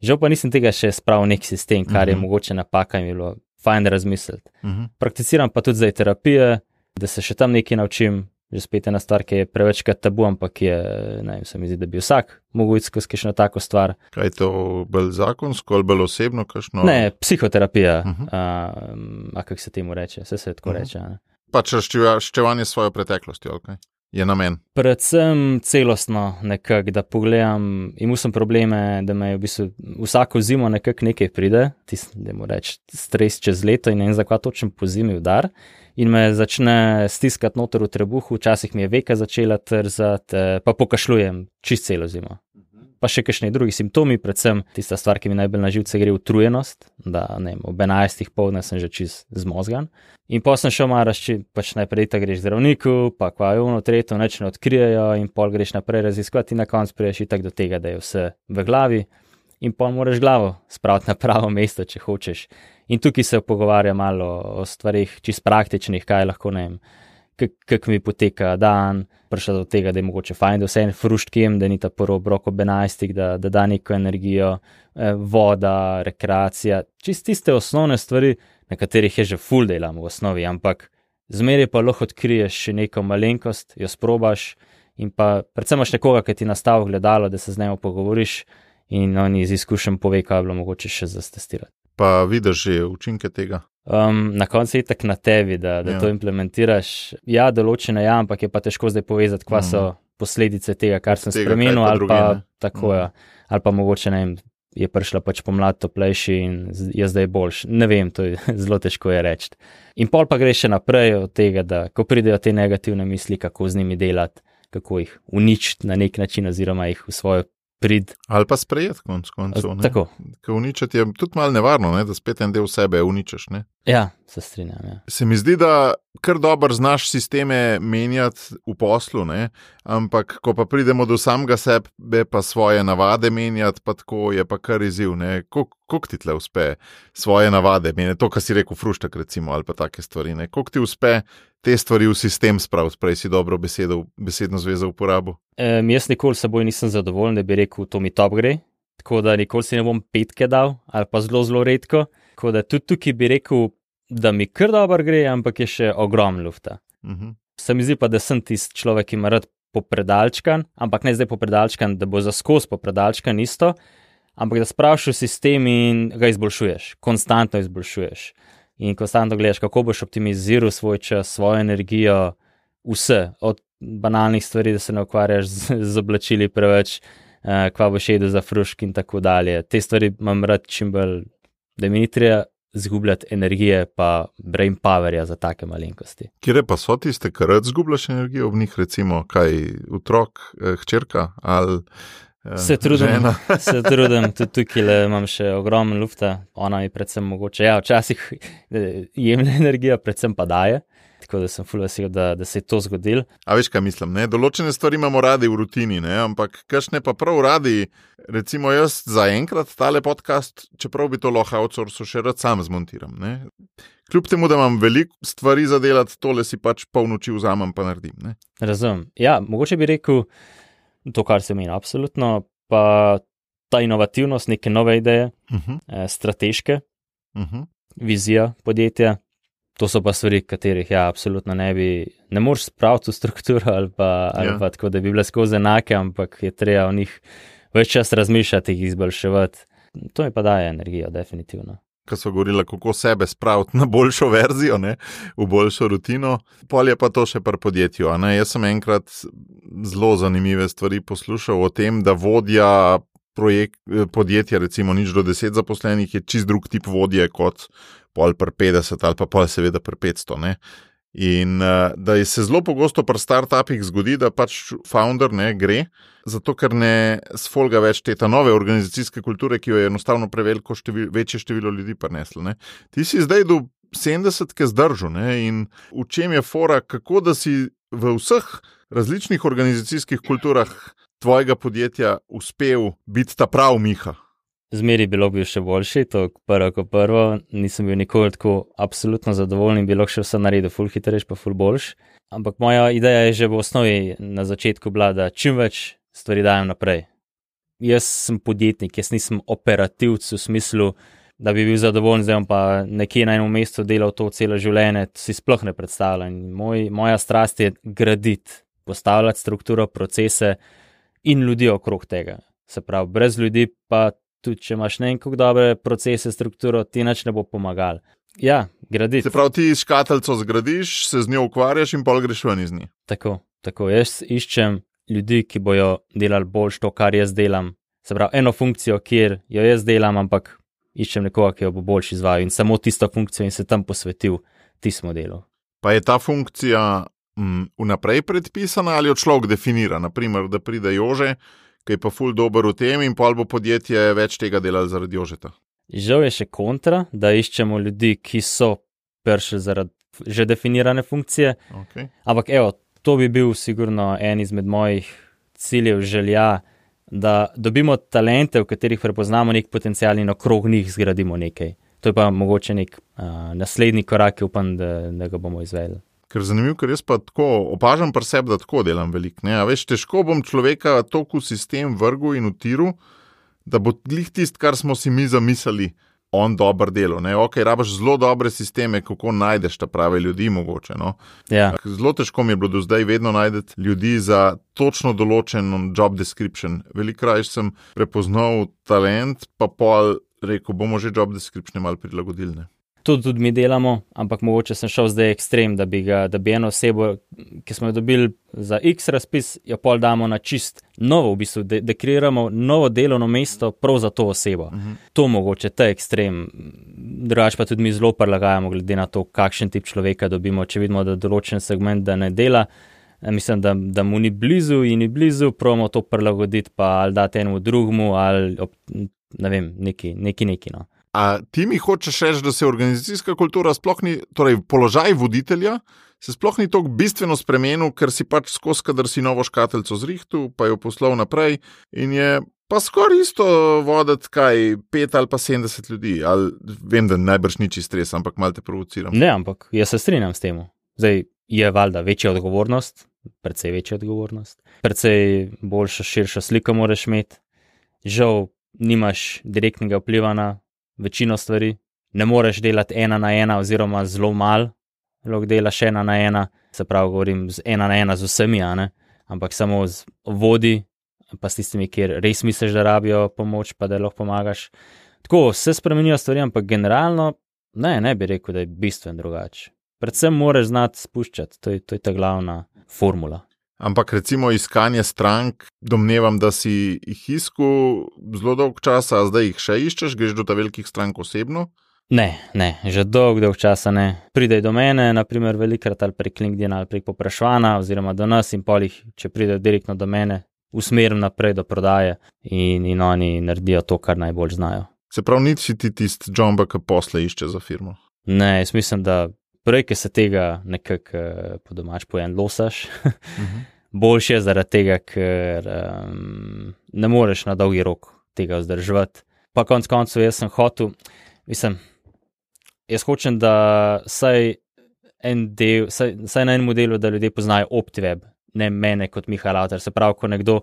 Žal pa nisem tega še spravil nek sistem, kar uh-huh. je mogoče napaka in je bilo fajn razmisliti. Uh-huh. Prakticiram pa tudi zdaj terapije, da se še tam nekaj naučim, že spet ena stvar, ki je prevečkrat tabu, ampak je, ne vem, se mi zdi, da bi vsak mogel iti skozi kakšno tako stvar. Kaj je to bolj zakonsko ali bolj osebno? Kakšno... Ne, psihoterapija, uh-huh. a, a kako se temu reče, vse se tako uh-huh. reče. Ne? Pač razčevanje svojo preteklosti, ali kaj? Je namen? Predvsem celostno nekako, da pogledam, imel sem probleme, da me v bistvu vsako zimo nekako nekaj pride, tisti, da mu reč, stres čez leto in ne vem, zakaj točno po zimi udar in me začne stiskati noter v trebuhu, včasih mi je veka začela trzati, pa pokašljujem čist celo zimo. Pa še kakšni drugi simptomi, predvsem tista stvar, ki mi najbolj na živce gre, utrujenost, da ne vem, ob enajstih poldne sem že čist zmozgan. In potem sem šel malo razči, pač najprej ta greš zdravniku, pa kva je ono, tretjo, neč ne odkrijejo in pol greš naprej raziskovati in na koncu priješ itak do tega, da je vse v glavi in pol moraš glavo spraviti na pravo mesto, če hočeš. In tukaj se pogovarja malo o stvarih čist praktičnih, kaj lahko, ne vem, kako mi poteka dan, prišel do tega, da je mogoče fajn, da vse en frušt kem, da ni ta prvo obrok ob enajstih, da, da da neko energijo, eh, voda, rekreacija, čist tiste osnovne stvari, na katerih je že ful delam v osnovi, ampak zmeraj pa lahko odkriješ še neko malenkost, jo sprobaš in pa predvsem imaš nekoga, ki ti nastavi gledalo, da se z njim pogovoriš in oni iz izkušenj pove, kaj je bilo mogoče še zatestirati. Pa vidiš že učinke tega? Um, na koncu je tak na tebi, da, da ja. to implementiraš. Ja, določene ja, ampak je pa težko zdaj povedati, kva so posledice tega, kar sem tega, spremenil, pa ali drugi, pa tako ja. Ali pa mogoče, ne vem, je prišla pač pomlad toplejši in je zdaj boljš. Ne vem, to je zelo težko je reči. In pol pa greš še naprej od tega, da ko pridejo te negativne misli, kako z njimi delati, kako jih uničiti na nek način oziroma jih v svojo prid. Ali pa sprejeti konc koncev. Tako. Ker uničiti je tudi malo nevarno, ne? Da spet en del sebe uničeš. Ne? Ja, se strinjam. Ja. Se mi zdi, da kar dobro znaš sisteme menjati v poslu, ne? Ampak ko pa pridemo do samega sebe, pa svoje navade menjati, pa tako je pa kar izziv. Kako ti tle uspe svoje navade menjati, to, kar si rekel, fruštek recimo, ali pa take stvari. Kako ti uspe te stvari v sistem spraviti, prej si dobro besedo, besedno zvezo uporabo? Um, jaz nikoli seboj nisem zadovoljen, da bi rekel, to mi top gre, tako da nikoli si ne bom petke dal, ali pa zelo, zelo redko. Tako da tudi tukaj bi rekel, da mi kar dobro gre, ampak je še ogromno lufta. Uh-huh. Se mi zdi pa, da sem tisti človek, ki ima rad popredalčkan, ampak ne zdaj popredalčkan, da bo za skozi popredalčkan isto, ampak da spraviš v sistem in ga izboljšuješ, konstantno izboljšuješ. In konstantno gledaš, kako boš optimiziral svoj čas, svojo energijo, vse, od banalnih stvari, da se ne ukvarjaš z, z oblačili preveč, uh, kva boš jedel za frušk in tako dalje. Te stvari imam rad čim bolj, da mi ni treba zgubljati energije pa brain powerja za take malenkosti. Kire pa so tiste, kar rad zgubljaš energijo v njih, recimo kaj, otrok, eh, hčerka ali eh, se trudim, žena? Se trudim, tudi tukaj imam še ogromno lufta, ona mi predvsem mogoče, ja, včasih jemlje energijo, predvsem pa daje, tako da sem ful vesel, da, da se je to zgodilo. A veš, kaj mislim, ne? Določene stvari imamo radi v rutini, ne? Ampak kakšne pa prav radi, recimo jaz za enkrat tale podcast, čeprav bi to lahko outsourcu še rad sam zmontiram, ne? Kljub temu, da imam veliko stvari za delati, tole si pač pol noči vzamem pa naredim, ne? Razumem. Ja, mogoče bi rekel to, kar se meni absolutno, pa ta inovativnost, neke nove ideje, uh-huh. eh, strateške, uh-huh. vizija podjetja. To so pa stvari, katerih ja, absolutno ne bi, ne moreš spraviti v strukturo ali pa, ali Ja. pa tako, da bi bile skozi enake, ampak je treba o njih več čas razmišljati, jih izboljševati. To mi pa daje energijo, definitivno. Ko so govorila, kako sebe spraviti na boljšo verzijo, ne? V boljšo rutino, pol je pa to še pri podjetju. A ne? Jaz sem enkrat zelo zanimive stvari poslušal o tem, da vodja projekt, podjetja, recimo nič do deset zaposlenih, je čist drug tip vodje kot pol per petdeset ali pa pol seveda per petsto, ne. In uh, da se zelo pogosto pri startupih zgodi, da pač founder ne gre, zato ker ne sfolga več te ta nove organizacijske kulture, ki jo je enostavno preveliko števil, večje število ljudi prineslo, ne. Ti si zdaj do sedemdesetke zdržal, ne, in v čem je fora, kako da si v vseh različnih organizacijskih kulturah tvojega podjetja uspel biti ta prav Miha? Zmeri bilo bi še boljši, to prvo kot prvo, nisem bil nikoli tako absolutno zadovoljen, bilo še vse naredil ful hitrejš pa ful boljš, ampak moja ideja je že v osnovi na začetku bila, da čim več stvari dajem naprej. Jaz sem podjetnik, jaz nisem operativc v smislu, da bi bil zadovoljen, zdaj pa nekje na enem mestu delal to celo življenje, to si sploh ne predstavljam. Moj, moja strast je graditi, postavljati strukturo, procese in ljudi okrog tega. Se pravi, brez ljudi pa tudi, če imaš ne kako dobre procese, strukturo, ti nič ne bo pomagal. Ja, graditi. Se pravi, ti škatlico zgradiš, se z njo ukvarjaš in pol greš ven iz nje. Tako, tako. Jaz iščem ljudi, ki bojo delali boljš to, kar jaz delam. Se pravi, eno funkcijo, kjer jo jaz delam, ampak iščem nekoga, ki jo bo boljš izvajal in samo tisto funkcijo in se tam posvetil tistemu delu. Pa je ta funkcija m, vnaprej predpisana ali jo človek definira? Naprimer, da pride Jože, ki je pa ful dober v tem in pol bo podjetje več tega delali zaradi Jožeta. Žal je še kontra, da iščemo ljudi, ki so prišli zaradi že definirane funkcije, Okay. ampak evo, to bi bil sigurno en izmed mojih ciljev, želja, da dobimo talente, v katerih prepoznamo nek potencial in okrog njih zgradimo nekaj. To je pa mogoče nek uh, naslednji korak, ki upam, da, da ga bomo izvedli. Ker zanimivo, ker jaz pa tako opažam pri sebi, da tako delam veliko. Ne? A veš, težko bom človeka toliko v sistem vrgu in utiru, da bo glih tist, kar smo si mi zamislili, on dober delo. Ne? Ok, rabaš zelo dobre sisteme, kako najdeš ta prave ljudi mogoče. No? Ja. Zelo težko mi je bilo do zdaj vedno najdeti ljudi za točno določen job description. Velikokrat sem prepoznal talent, pa pol rekel, bomo že job description malo prilagodili. Ne? To tudi mi delamo, ampak mogoče sem šel zdaj ekstrem, da bi, ga, da bi eno osebo, ki smo jo dobili za X razpis, jo pol damo na čist novo, v bistvu, da, da kreiramo novo delovno mesto prav za to osebo. Uh-huh. To mogoče, ta ekstrem. Drugač pa tudi mi zelo prilagajamo glede na to, kakšen tip človeka dobimo, če vidimo, da določen segment da ne dela. Mislim, da, da mu ni blizu in ni blizu, probamo to prilagoditi, pa ali dati enemu drugmu, ali ob, ne vem, neki, neki, neki, no. A ti mi hočeš reči, da se organizacijska kultura sploh ni, torej položaj voditelja, se sploh ni tako bistveno spremenil, ker si pač skozi, kadar si novo škatlico zrihtu, pa jo poslal naprej in je pa skoraj isto voditi kaj pet ali pa sedemdeset ljudi. Ali, vem, da najbrž ni čist stres, ampak malo te provociram. Ne, ampak jaz se strinjam s tem. Zdaj je valjda večja odgovornost, precej večja odgovornost, precej boljša, širša slika moraš imeti. Žal nimaš direktnega vpliva na večino stvari, ne moreš delati ena na ena oziroma zelo malo, lahko delaš ena na ena, se pravi govorim z ena na ena z vsemi, a ne? Ampak samo z vodi, pa s tistimi, kjer res misliš, da rabijo pomoč, pa da lahko pomagaš. Tako se spremenijo stvari, ampak generalno ne, ne bi rekel, da je bistveno drugače. Predvsem moraš znati spuščati, to je, to je ta glavna formula. Ampak recimo iskanje strank, domnevam, da si jih iskal zelo dolg časa, a zdaj jih še iščeš, greš do ta velikih strank osebno? Ne, ne, že dolg, dolg časa ne. Pridej do mene, naprimer velikrat ali prek LinkedIn ali prek poprašvana oziroma do nas in polih, če pride direktno do mene, usmerim naprej do prodaje in, in oni naredijo to, kar najbolj znajo. Se pravi, niti ti tist džomba, ki posle išče za firmo? Ne, jaz mislim, da prej, ki se tega nekako po domač pojen losaš, uh-huh. boljše je zaradi tega, ker um, ne moreš na dolgi rok tega vzdrževati. Pa konc koncev jaz sem hotel, mislim, jaz hočem, da saj, en del, saj, saj na enem delu, da ljudje poznajo OptiWeb, ne mene kot Miha Lautar. Se pravi, ko nekdo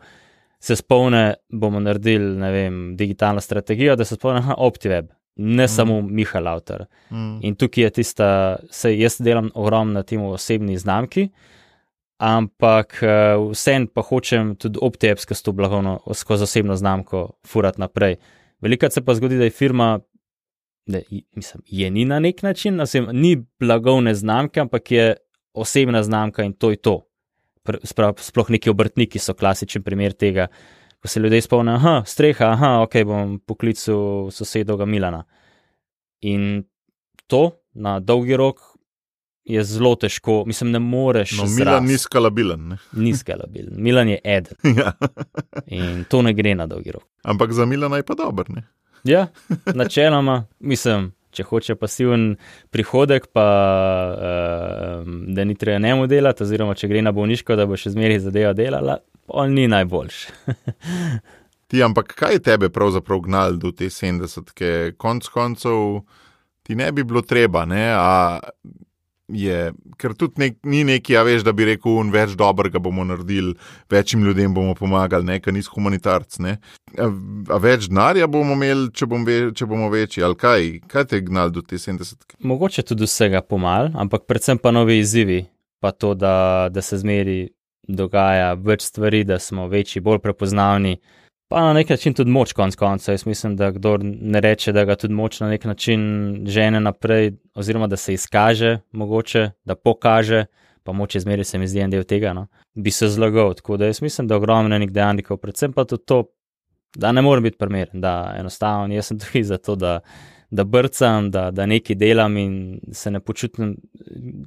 se spomne, bomo naredili, ne vem, digitalno strategijo, da se spomne, aha, OptiWeb. Ne mm. samo Miha Lautar. Mm. In tukaj je tista, sej jaz delam ogromno na tem osebni znamki, ampak uh, vsem pa hočem tudi OptiWebsko blagovno skozi osebno znamko furati naprej. Velikrat se pa zgodi, da je firma, da mislim, je ni na nek način, mislim, ni blagovne znamke, ampak je osebna znamka in to je to. Sploh neki obrtniki so klasičen primer tega, ko se ljudje spomnijo, aha, streha, aha, ok, bom poklical sosedovega Milana. In to na dolgi rok je zelo težko, mislim, ne moreš no, zrast. Milan ni skalabilen, ne? Ni skalabilen, Milan je eden. Ja. In to ne gre na dolgi rok. Ampak za Milana je pa dober, ne? Ja, načeloma, mislim, če hoče pasiven prihodek, pa uh, da ni treba njemu delati, oziroma če gre na bolniško, da bo še zmeraj zadeva delala, on ni najboljši. Ti, ampak kaj je tebe pravzaprav gnal do te sedemdesetke? Konc koncev ti ne bi bilo treba, ne? A je, ker tudi nek, ni neki, a veš, da bi rekel, več dobrega bomo naredili, večjim ljudem bomo pomagali, ne, ker nisi humanitarc, ne. A, a več denarja bomo imeli, če, bom ve, če bomo večji, ali kaj? Kaj te je gnal do te sedemdesetke? Mogoče tudi vsega pomal, ampak predvsem pa novi izzivi, pa to, da, da se zmeri dogaja več stvari, da smo večji, bolj prepoznavni, pa na nek način tudi moč konc konca. Jaz mislim, da kdor ne reče, da ga tudi moč na nek način žene naprej, oziroma da se izkaže mogoče, da pokaže, pa moč je zmeri se mi zdi en del tega, no, bi se zlagal. Tako da jaz mislim, da ogromno enih dejavnikov, predvsem pa tudi to, da ne morem biti primeren, da enostavno jaz sem tukaj za to, da, da brcam, da, da nekaj delam in se ne počutim,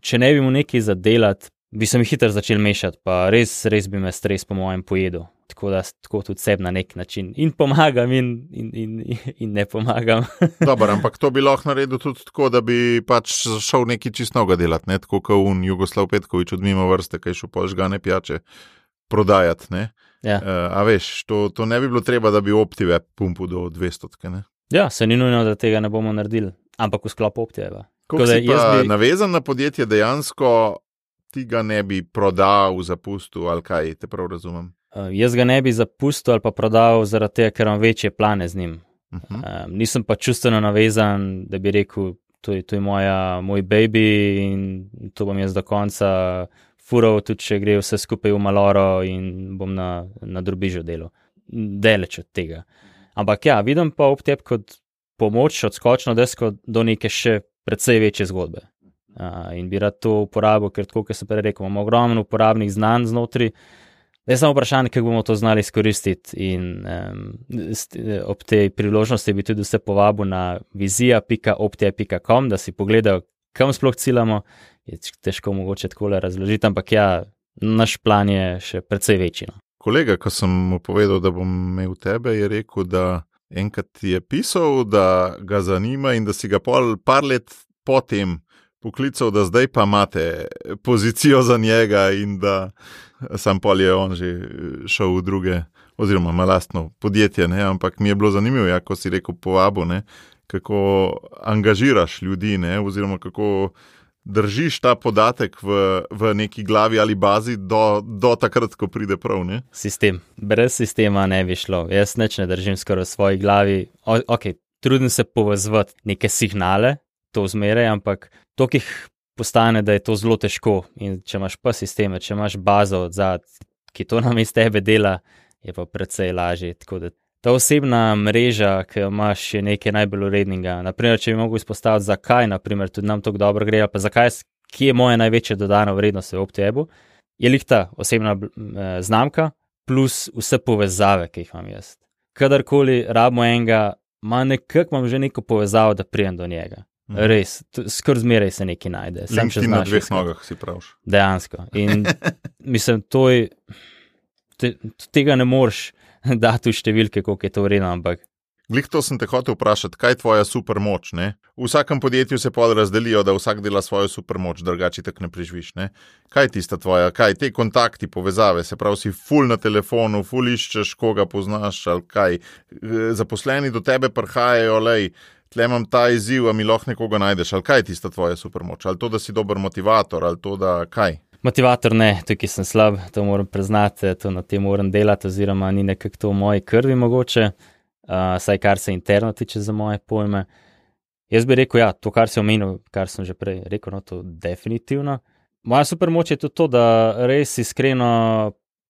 če ne bi mu nekaj zadelati, bi se mi hitro začel mešati, pa res, res bi me stres po mojem pojedel. Tako da tako tudi sebi na nek način in pomagam in, in, in, in ne pomagam. Dobar, ampak to bi lahko naredil tudi tako, da bi pač šel nekaj čist novega delati, ne? Tako kot un Jugoslav Petković od mimo vrste, kaj šel pol žgane pijače prodajati, ne? Ja. Uh, a veš, to, to ne bi bilo treba, da bi OptiWeb pumpil do dvestotke, ne? Ja, se ni nujno, da tega ne bomo naredili, ampak v sklopu OptiWeba. Kako si pa bi... navezan na podjetje dejansko, ti ga ne bi prodal, zapustil ali kaj, te prav razumem? Uh, jaz ga ne bi zapustil ali pa prodal zaradi tega, ker imam večje plane z njim. Uh-huh. Um, nisem pa čustveno navezan, da bi rekel, to je, to je moja, moj baby in to bom jaz do konca fural, tudi če gre vse skupaj v maloro in bom na, na drobižu delal. Deleč od tega. Ampak ja, vidim pa OptiWeb kot pomoč, odskočno desko do neke še precej večje zgodbe. Uh, in bi rad to uporabil, ker tako, kot sem prej rekel, imamo ogromno uporabnih znanj znotri. Je samo vprašanje, kako bomo to znali izkoristiti in um, ob tej priložnosti bi tudi vse povabil na vizija pika optiweb pika com, da si pogledajo, kam sploh ciljamo. Je težko mogoče takole razložiti, ampak ja, naš plan je še precej večji. No. Kolega, ko sem mu povedal, da bom imel tebe, je rekel, da enkrat ti je pisal, da ga zanima in da si ga pol par let potem poklical, da zdaj pa imate pozicijo za njega in da sam pol je on že šel v druge, oziroma ima lastno podjetje, ne? Ampak mi je bilo zanimivo, ja, ko si rekel povabo, ne? Kako angažiraš ljudi, ne? Oziroma kako držiš ta podatek v, v neki glavi ali bazi do, do takrat, ko pride prav, ne? Sistem. Brez sistema ne bi šlo. Jaz nič ne držim skoraj v svoji glavi. O, ok, trudim se povezvati neke signale, to zmeraj, ampak toliko jih postane, da je to zelo težko. In če imaš pa sisteme, če imaš bazo odzad, ki to namesto tebe dela, je pa precej lažje. Tako da ta osebna mreža, ki jo imaš, je nekaj najbolj urednega. Naprimer, če bi mogel izpostaviti, zakaj, naprimer, tudi nam tako dobro gre, pa zakaj, kje je moja največja dodana vrednost v OptiWebu, je lih ta osebna eh, znamka plus vse povezave, ki jih imam jaz. Kadarkoli rabimo enega, ima nekako imam že neko povezavo, da prijem do njega. Hmm. Res, skoro zmeraj se nekaj najde. LinkedIn na dveh nogah si praviš. Dejansko. In mislim, to je, te, tega ne moreš dati v številke, koliko je to vredno, ampak. Glih to sem te hotel vprašati, kaj je tvoja supermoč, ne? V vsakem podjetju se pol razdelijo, da vsak dela svojo supermoč, drugače tak ne preživiš, ne? Kaj je tista tvoja, kaj te kontakti, povezave, se pravi si ful na telefonu, ful iščeš, koga poznaš, ali kaj, zaposleni do tebe prihajajo, lej, tle imam ta izziv, a mi lahko nekoga najdeš, ali kaj je tista tvoja supermoč, ali to, da si dober motivator, ali to, da kaj? Motivator ne, tukaj sem slab, to moram priznati, to na tem moram delati, oziroma ni nekako to v moji krvi mogoče, uh, saj kar se interno tiče za moje pojme. Jaz bi rekel, ja, to, kar si omenil, kar sem že prej rekel, no, to definitivno. Moja supermoč je tudi to, da res iskreno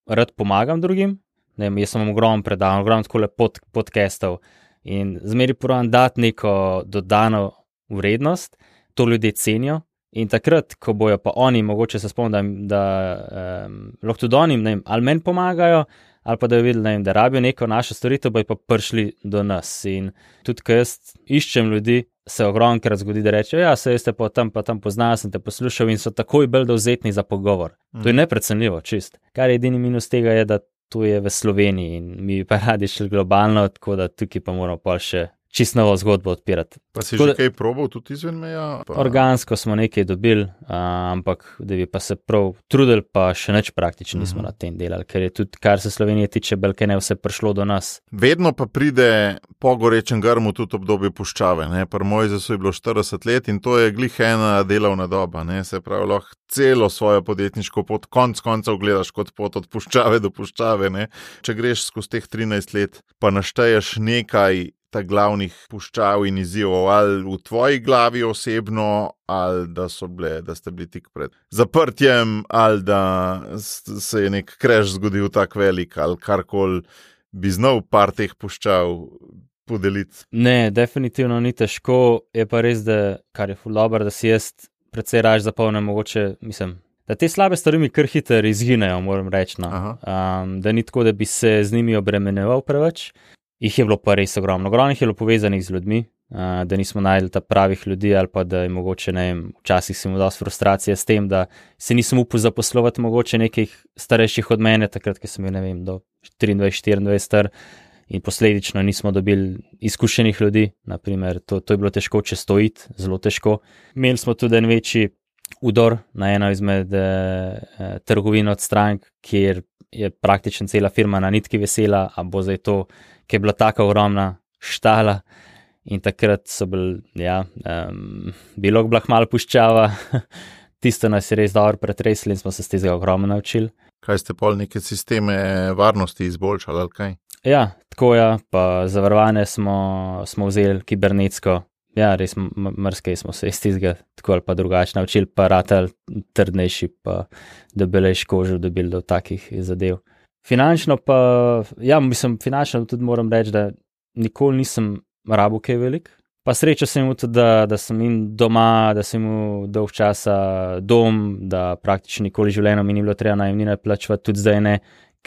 rad pomagam drugim, ne vem, jaz sem ogromno predavanj, ogromno takole pod, podcastov in zmeri probam dati neko dodano vrednost, to ljudje cenijo. In takrat, ko bojo pa oni, mogoče se spomnim, da, da um, lahko tudi oni, ne vem, ali meni pomagajo, ali pa da je videli, ne vem, da rabijo neko našo storitev, bojo pa prišli do nas. In tudi, ko jaz iščem ljudi, se ogromkrat zgodi, da rečejo, ja, se jeste pa tam, pa tam poznal, sem te poslušal in so takoj bolj dovzetni za pogovor. Mm. To je neprecenljivo, čist. Kar je edini minus tega je, da to je v Sloveniji in mi pa radi šli globalno, tako da tukaj pa moramo pa še čisto novo zgodbo odpirati. Pa si tako že kaj probal tudi izven meja? Pa... Organsko smo nekaj dobili, a, ampak da bi pa se prav trudili, pa še nič praktično nismo uh-huh. na tem delali, ker je tudi, kar se Slovenije tiče, belke ne vse prišlo do nas. Vedno pa pride po gorečem grmu tudi obdobje puščave, ne? Pri Mojzesu je bilo štirideset let in to je glih ena delovna doba, ne? Se pravi, lahko celo svojo podjetniško pot konc koncev gledaš kot pot od puščave do puščave, ne? Če greš skozi teh trinajst let, pa našteješ nekaj ta glavnih puščav in izzivov, ali v tvoji glavi osebno, ali da so bile, da ste bili tik pred zaprtjem, ali da se je nek crash zgodil tak velik, ali karkoli bi znal par teh puščav podeliti. Ne, definitivno ni težko, je pa res, da kar je ful dobro, da si jaz precej raž zapolnim, mogoče, mislim, da te slabe stvari mi kar hitro izginejo, moram reči, no. um, da ni tako, da bi se z njimi obremenjeval preveč. Jih je bilo pa res ogromno. Ogromno jih je bilo povezanih z ljudmi, uh, da nismo najdli ta pravih ljudi ali pa da je mogoče, ne vem, včasih si imel dosti frustracije s tem, da se nisem upal zaposlovati mogoče nekih starejših od mene, takrat, ko sem bil, ne vem, do triindvajset štiriindvajset star in posledično nismo dobili izkušenih ljudi, naprimer, to, to je bilo težko čez to iti, zelo težko. Imeli smo tudi en večji udor na eno izmed eh, trgovin od strank, kjer je praktično cela firma na nitki vesela, a bo zdaj to, ki je bila taka ogromna štala in takrat so bili, ja, um, bilo blah malo puščava, tisto nas je res dobro pretresli in smo se s tega ogromno naučili. Kaj ste pol neke sisteme varnosti izboljšali, ali kaj? Ja, tako ja, pa zavarovane smo, smo vzeli kibernetsko, ja, res mrskej smo se iz tistega tako ali pa drugače naučili, pa ratali trdnejši, pa debelejši kožo dobili do takih zadev. Finančno pa, ja, mislim, finančno tudi moram reči, da nikoli nisem rabil kaj velik. Pa srečo sem imel tudi, da, da sem im doma, da sem imel dolg časa dom, da praktično nikoli življenja mi ni bilo treba najemnine plačevati, tudi zdaj ne,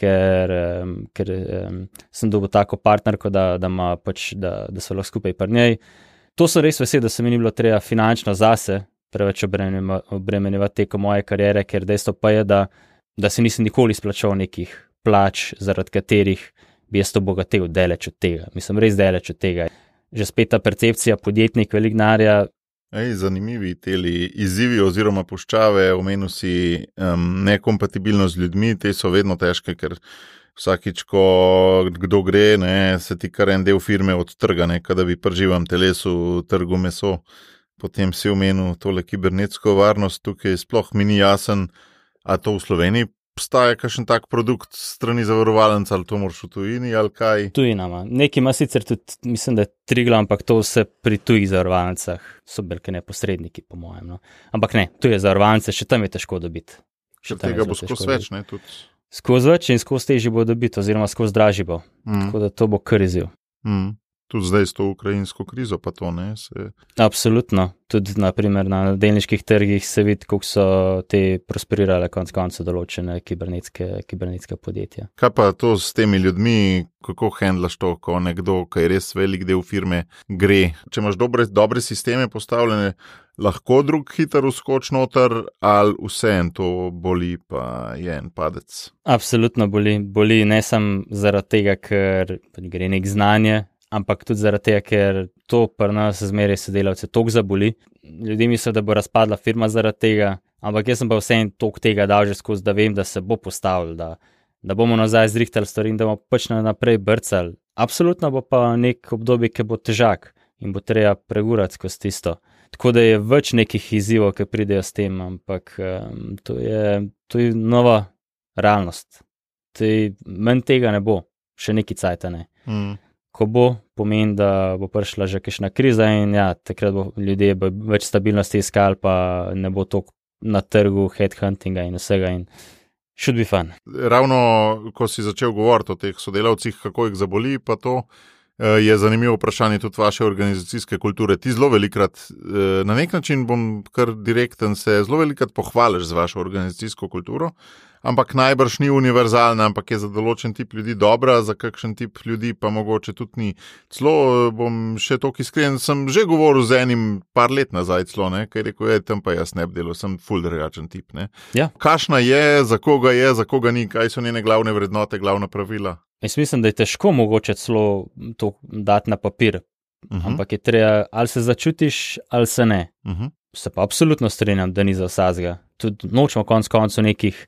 ker, um, ker um, sem dobil tako partnerko, da, da, ma pač, da, da so lahko skupaj pri njej. To so res vesel, da se mi ni bilo treba finančno zase preveč obremenjevati teko moje kariere, ker dejstvo pa je, da, da se nisem nikoli izplačal nekih plač, zaradi katerih bi jaz to bogatel daleč od tega. Mislim, res daleč od tega. Že spet ta percepcija, podjetnik, velik denarja. Ej, zanimivi teli izzivi oziroma puščave, omenil si um, nekompatibilnost z ljudmi, te so vedno težke, ker vsakič, ko kdo gre, ne, se ti kar en del firme odtrga, ne, kada bi pri živem telesu trgu meso. Potem si omenil tole kibernetsko varnost, tukaj sploh mi ni jasen, a to v Sloveniji obstaja kakšen tak produkt strani zavarovalnic, ali to moraš v tujini, ali kaj? Tujinama. Nekaj ima sicer tudi, mislim, da je Triglav, ampak to vse pri tujih zavarovalnicah so belke neposredniki, po mojem. No. Ampak ne, tuje zavarovalnice, še tam je težko dobiti. Še tega bo skozi več, ne? Tudi. Skozi več in skozi težji bo dobiti, oziroma skozi dražji bo. Mm. Tako da to bo kar izziv. Mm. Tudi zdaj s to ukrajinsko krizo, pa to ne? Se... Absolutno. Tudi naprimer na delniških trgih se vidi, kako so te prosperirale konc konca določene kibernetske, kibernetske podjetja. Kaj pa to s temi ljudmi, kako handlaš to, ko nekdo, ki je res velik del firme, gre? Če imaš dobre, dobre sisteme postavljene, lahko drug hiter vskoč noter, ali vse en to boli, pa je en padec? Absolutno boli. Boli ne samo zaradi tega, ker gre nek znanje, ampak tudi zaradi tega, ker to pri nas zmeraj sodelavce toliko zaboli. Ljudje mislijo, da bo razpadla firma zaradi tega, ampak jaz sem pa vseeno toliko tega dal že skozi, da vem, da se bo postavil, da, da bomo nazaj zrihtali stvari in da bomo pač naprej brcali. Absolutno bo pa nek obdobje, ki bo težak in bo treba pregurati skozi tisto. Tako da je več nekih izzivov, ki pridejo s tem, ampak um, to, je, to je nova realnost. Manj tega ne bo, še neki cajta ne. Mm. Ko bo, pomeni, da bo prišla že kakšna kriza in ja, takrat bo ljudje bo več stabilnosti iskali, pa ne bo toliko na trgu headhuntinga in vsega in should be fun. Ravno, ko si začel govoriti o teh sodelavcih, kako jih zaboli, pa to je zanimivo vprašanje tudi vaše organizacijske kulture. Ti zelo velikrat, na nek način bom kar direkten, se zelo velikrat pohvališ z vašo organizacijsko kulturo, ampak najbrž ni univerzalna, ampak je za določen tip ljudi dobra, za kakšen tip ljudi pa mogoče tudi ni. Celo bom še toliko iskren, sem že govoril z enim par let nazaj celo, ne, kaj rekel, je, tam pa jaz ne bi delal, sem ful drugačen tip. Ne. Ja. Kašna je, za koga je, za koga ni, kaj so njene glavne vrednote, glavna pravila? Jaz mislim, da je težko mogoče celo to dati na papir, uh-huh. ampak je treba, ali se začutiš, ali se ne. Uh-huh. Se pa absolutno strinjam, da ni za vsazga. Tudi nočemo konc koncu nekih,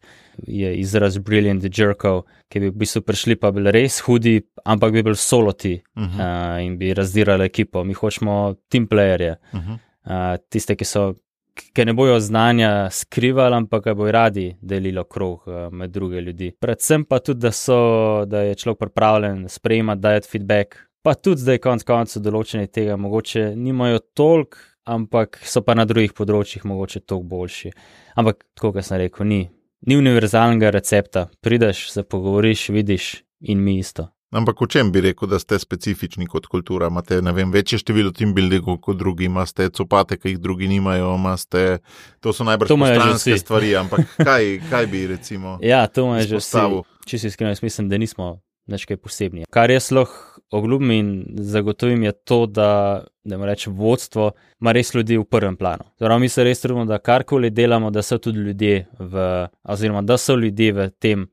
je izraz brilliant jerkov, ki bi v bistvu prišli pa bili res hudi, ampak bi bili soloti uh-huh. uh, in bi razdirali ekipo. Mi hočemo team playerje, uh-huh. uh, tiste, ki so ki ne bojo znanja skrivali, ampak ga bojo radi delilo krog uh, med druge ljudi. Predvsem pa tudi, da, so, da je človek pripravljen sprejemati, dajati feedback, pa tudi zdaj konc koncu določeni tega mogoče nimajo toliko, ampak so pa na drugih področjih mogoče toliko boljši. Ampak, tako kot sem rekel, ni, ni univerzalnega recepta. Prideš, se pogovoriš, vidiš in mi isto. Ampak v čem bi rekel, da ste specifični kot kultura? Imate, ne vem, večje število team buildingov kot drugi, imate copate, ki jih drugi nimajo, imate, to so najbrž postranske stvari, ampak kaj, kaj bi recimo ja, to imajo že vsi. Čisto iskreno, jaz mislim, da nismo nič kaj posebni. Kar jaz lahko obljubim in zagotovim je to, da, da ima reči vodstvo, ima res ljudi v prvem planu. Zdaj, mi se res trudimo, da karkoli delamo, da so tudi ljudje v, oziroma da so ljudje v tem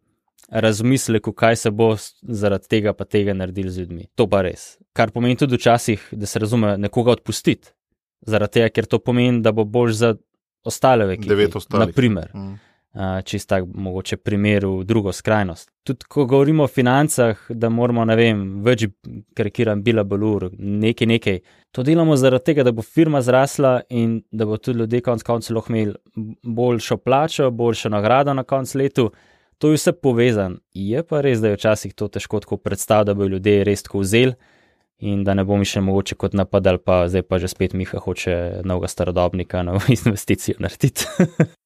razmisleku, kaj se bo zaradi tega pa tega naredili z ljudmi. To pa res. Kar pomeni tudi včasih, da se razume nekoga odpustiti. Zaradi tega, ker to pomeni, da bo bolj za ostale v ekipi. Devet ostalih. Naprimer. Mm. Uh, čist tak mogoče primer v drugo skrajnost. Tudi ko govorimo o financah, da moramo, ne vem, več karikiram bila balur, nekaj, nekaj. To delamo zaradi tega, da bo firma zrasla in da bo tudi ljudje konc koncu lahko imeli boljšo plačo, boljšo nagrado na konc letu. To je vse povezan. Je pa res, da je včasih to težko tako predstaviti, da bo ljudje res tako vzeli in da ne bo mi še mogoče kot napadal, pa zdaj pa že spet Miha hoče novega starodobnika, novo investicijo narediti.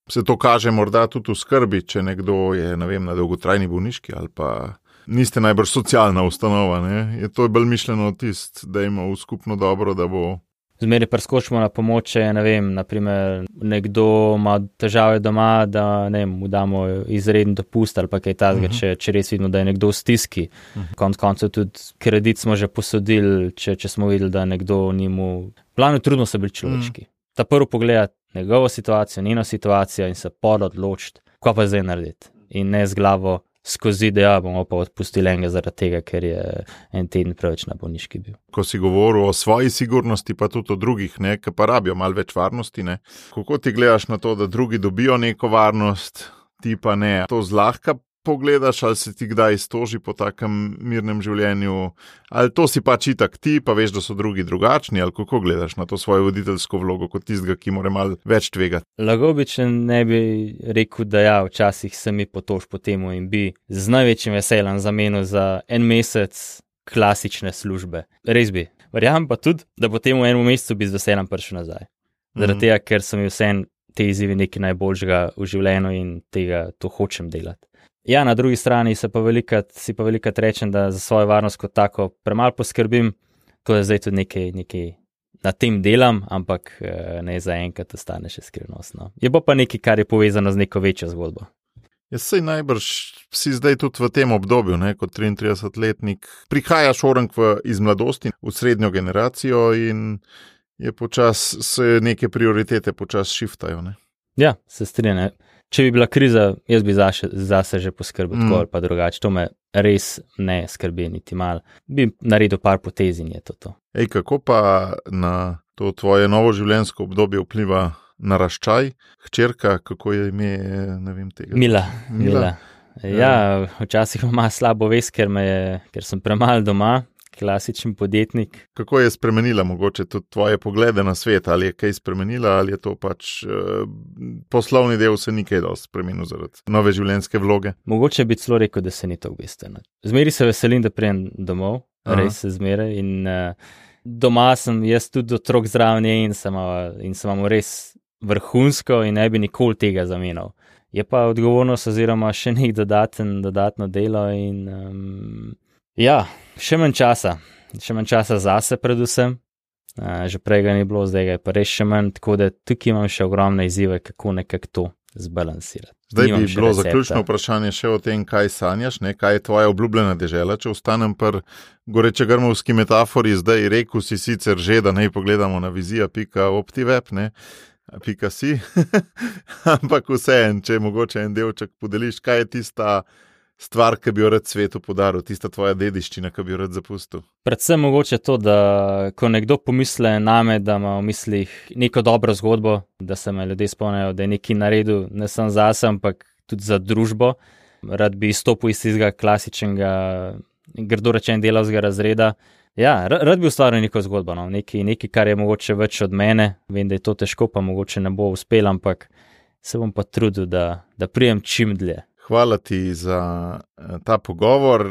Se to kaže morda tudi v skrbi, če nekdo je, ne vem, na dolgotrajni bolniški ali pa niste najbrž socialna ustanova, ne? Je to bolj mišljeno tist, da ima v skupno dobro, da bo... Zmeraj preskočimo na pomoč, ne vem, naprimer nekdo ima težave doma, da ne vem, mu damo izreden dopust ali pa kaj tazga, uh-huh. če, če res vidimo, da je nekdo v stiski. Uh-huh. Konc koncev tudi kredit smo že posodili, če, če smo videli, da nekdo ni mu... Plano trudno se bili človeški. Uh-huh. Ta prvo pogledati njegovo situacijo, njeno situacijo in se pod odločiti, kaj pa zdaj narediti. In ne z glavo, skozi, da ja, bomo pa odpustili enega zaradi tega, ker je en teden preveč na bolniški bil. Ko si govoril o svoji sigurnosti, pa tudi o drugih, ne, ki pa rabijo malo več varnosti, ne. Kako ti gledaš na to, da drugi dobijo neko varnost, ti pa ne? To zlahka pogledaš, ali se ti kdaj stoži po takem mirnem življenju, ali to si pač itak ti, pa veš, da so drugi drugačni, ali kako gledaš na to svojo voditeljsko vlogo kot tistega, ki mora malo več tvegati? Lago bi, če ne bi rekel, da ja, včasih se mi potož po temu in bi z največjim veseljem zamenil za en mesec klasične službe. Res bi. Verjamem pa tudi, da po temu enemu mesecu bi z veseljem prišel nazaj. Zaradi mm. tega, ker so mi vseeno te izzivi nekaj najboljšega v življenju in tega to hočem delati. Ja, na drugi strani se pa velikrat, si pa velikrat rečem, da za svojo varnost kot tako premalo poskrbim. To je zdaj tudi nekaj, nekaj na tem delam, ampak ne za enkrat ostane še skrivnostno. Je pa pa nekaj, kar je povezano z neko večjo zgodbo. Jaz sej najbrž si zdaj tudi v tem obdobju, ne, kot triintridesetletnik, prihajaš orang v, iz mladosti v srednjo generacijo in je počas, se neke prioritete počas šiftajo, ne. Ja, se strinjam. Če bi bila kriza, jaz bi zase, zase že poskrbel tako mm. ali pa drugače. To me res ne skrbi niti malo. Bi naredil par potez in je to to. Ej, kako pa na to tvoje novo življenjsko obdobje vpliva naraščaj? Hčerka, kako je ime, ne vem tega. Mila. Mila. Mila. Ja, včasih ima slabo vest, ker, me je, ker sem premalo doma. Klasičen podjetnik. Kako je spremenila mogoče tudi tvoje poglede na svet? Ali je kaj spremenila, ali je to pač uh, poslovni del se ni kaj dosti spremenil zaradi nove življenjske vloge? Mogoče bi celo rekel, da se ni to bistveno. Zmeri se veselim, da prijem domov, Aha. res se zmeraj in uh, doma sem jaz tudi otrok zraven in sem, uh, in sem vam res vrhunsko in ne bi nikoli tega zamenjal. Je pa odgovornost oziroma še nek dodaten, dodatno delo in um, ja, še manj časa, še manj časa zase predvsem, uh, že prej ga ni bilo, zdaj ga je pa res še manj, tako da tukaj imam še ogromne izzive, kako nekako to zbalansirati. Zdaj nimam bi bilo recepta. Zaključno vprašanje še o tem, kaj sanjaš, ne? Kaj je tvoja obljubljena dežela, če ostanem pri gorečegrmovski metafori, zdaj rekel si sicer že, da naj pogledamo na vizija pika optiveb, ne, pika si, ampak vseeno, če mogoče en delček podeliš, kaj je tista stvar, ki bi jo rad svetu podaril, tista tvoja dediščina, ki bi jo rad zapustil? Predvsem mogoče to, da ko nekdo pomisle name, da ima v mislih neko dobro zgodbo, da se me ljudje spomnijo, da je nekaj naredil, ne samo zase, ampak tudi za družbo. Rad bi izstopil iz tistega klasičnega, grdo rečen delavskega razreda. Ja, rad bi ustvaril neko zgodbo, no? nekaj, nekaj, kar je mogoče več od mene. Vem, da je to težko, pa mogoče ne bo uspel, ampak se bom pa trudil, da, da prijem čim dlje. Hvala ti za ta pogovor.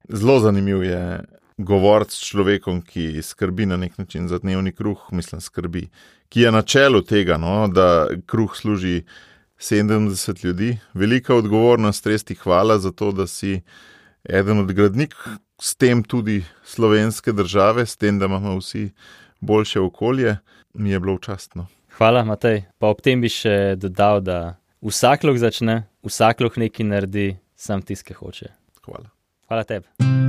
Zelo zanimiv je govoriti s človekom, ki skrbi na nek način za dnevni kruh, mislim skrbi, ki je na čelu tega, no, da kruh služi sedemdeset ljudi. Velika odgovornost, res ti hvala za to, da si eden od gradnik, s tem tudi slovenske države, s tem, da imamo vsi boljše okolje. Mi je bilo častno. Hvala, Matej. Pa ob tem bi še dodal, da vsak lahko začne, vsak lahko nekaj naredi, sam tisti, ki hoče. Hvala. Hvala tebi.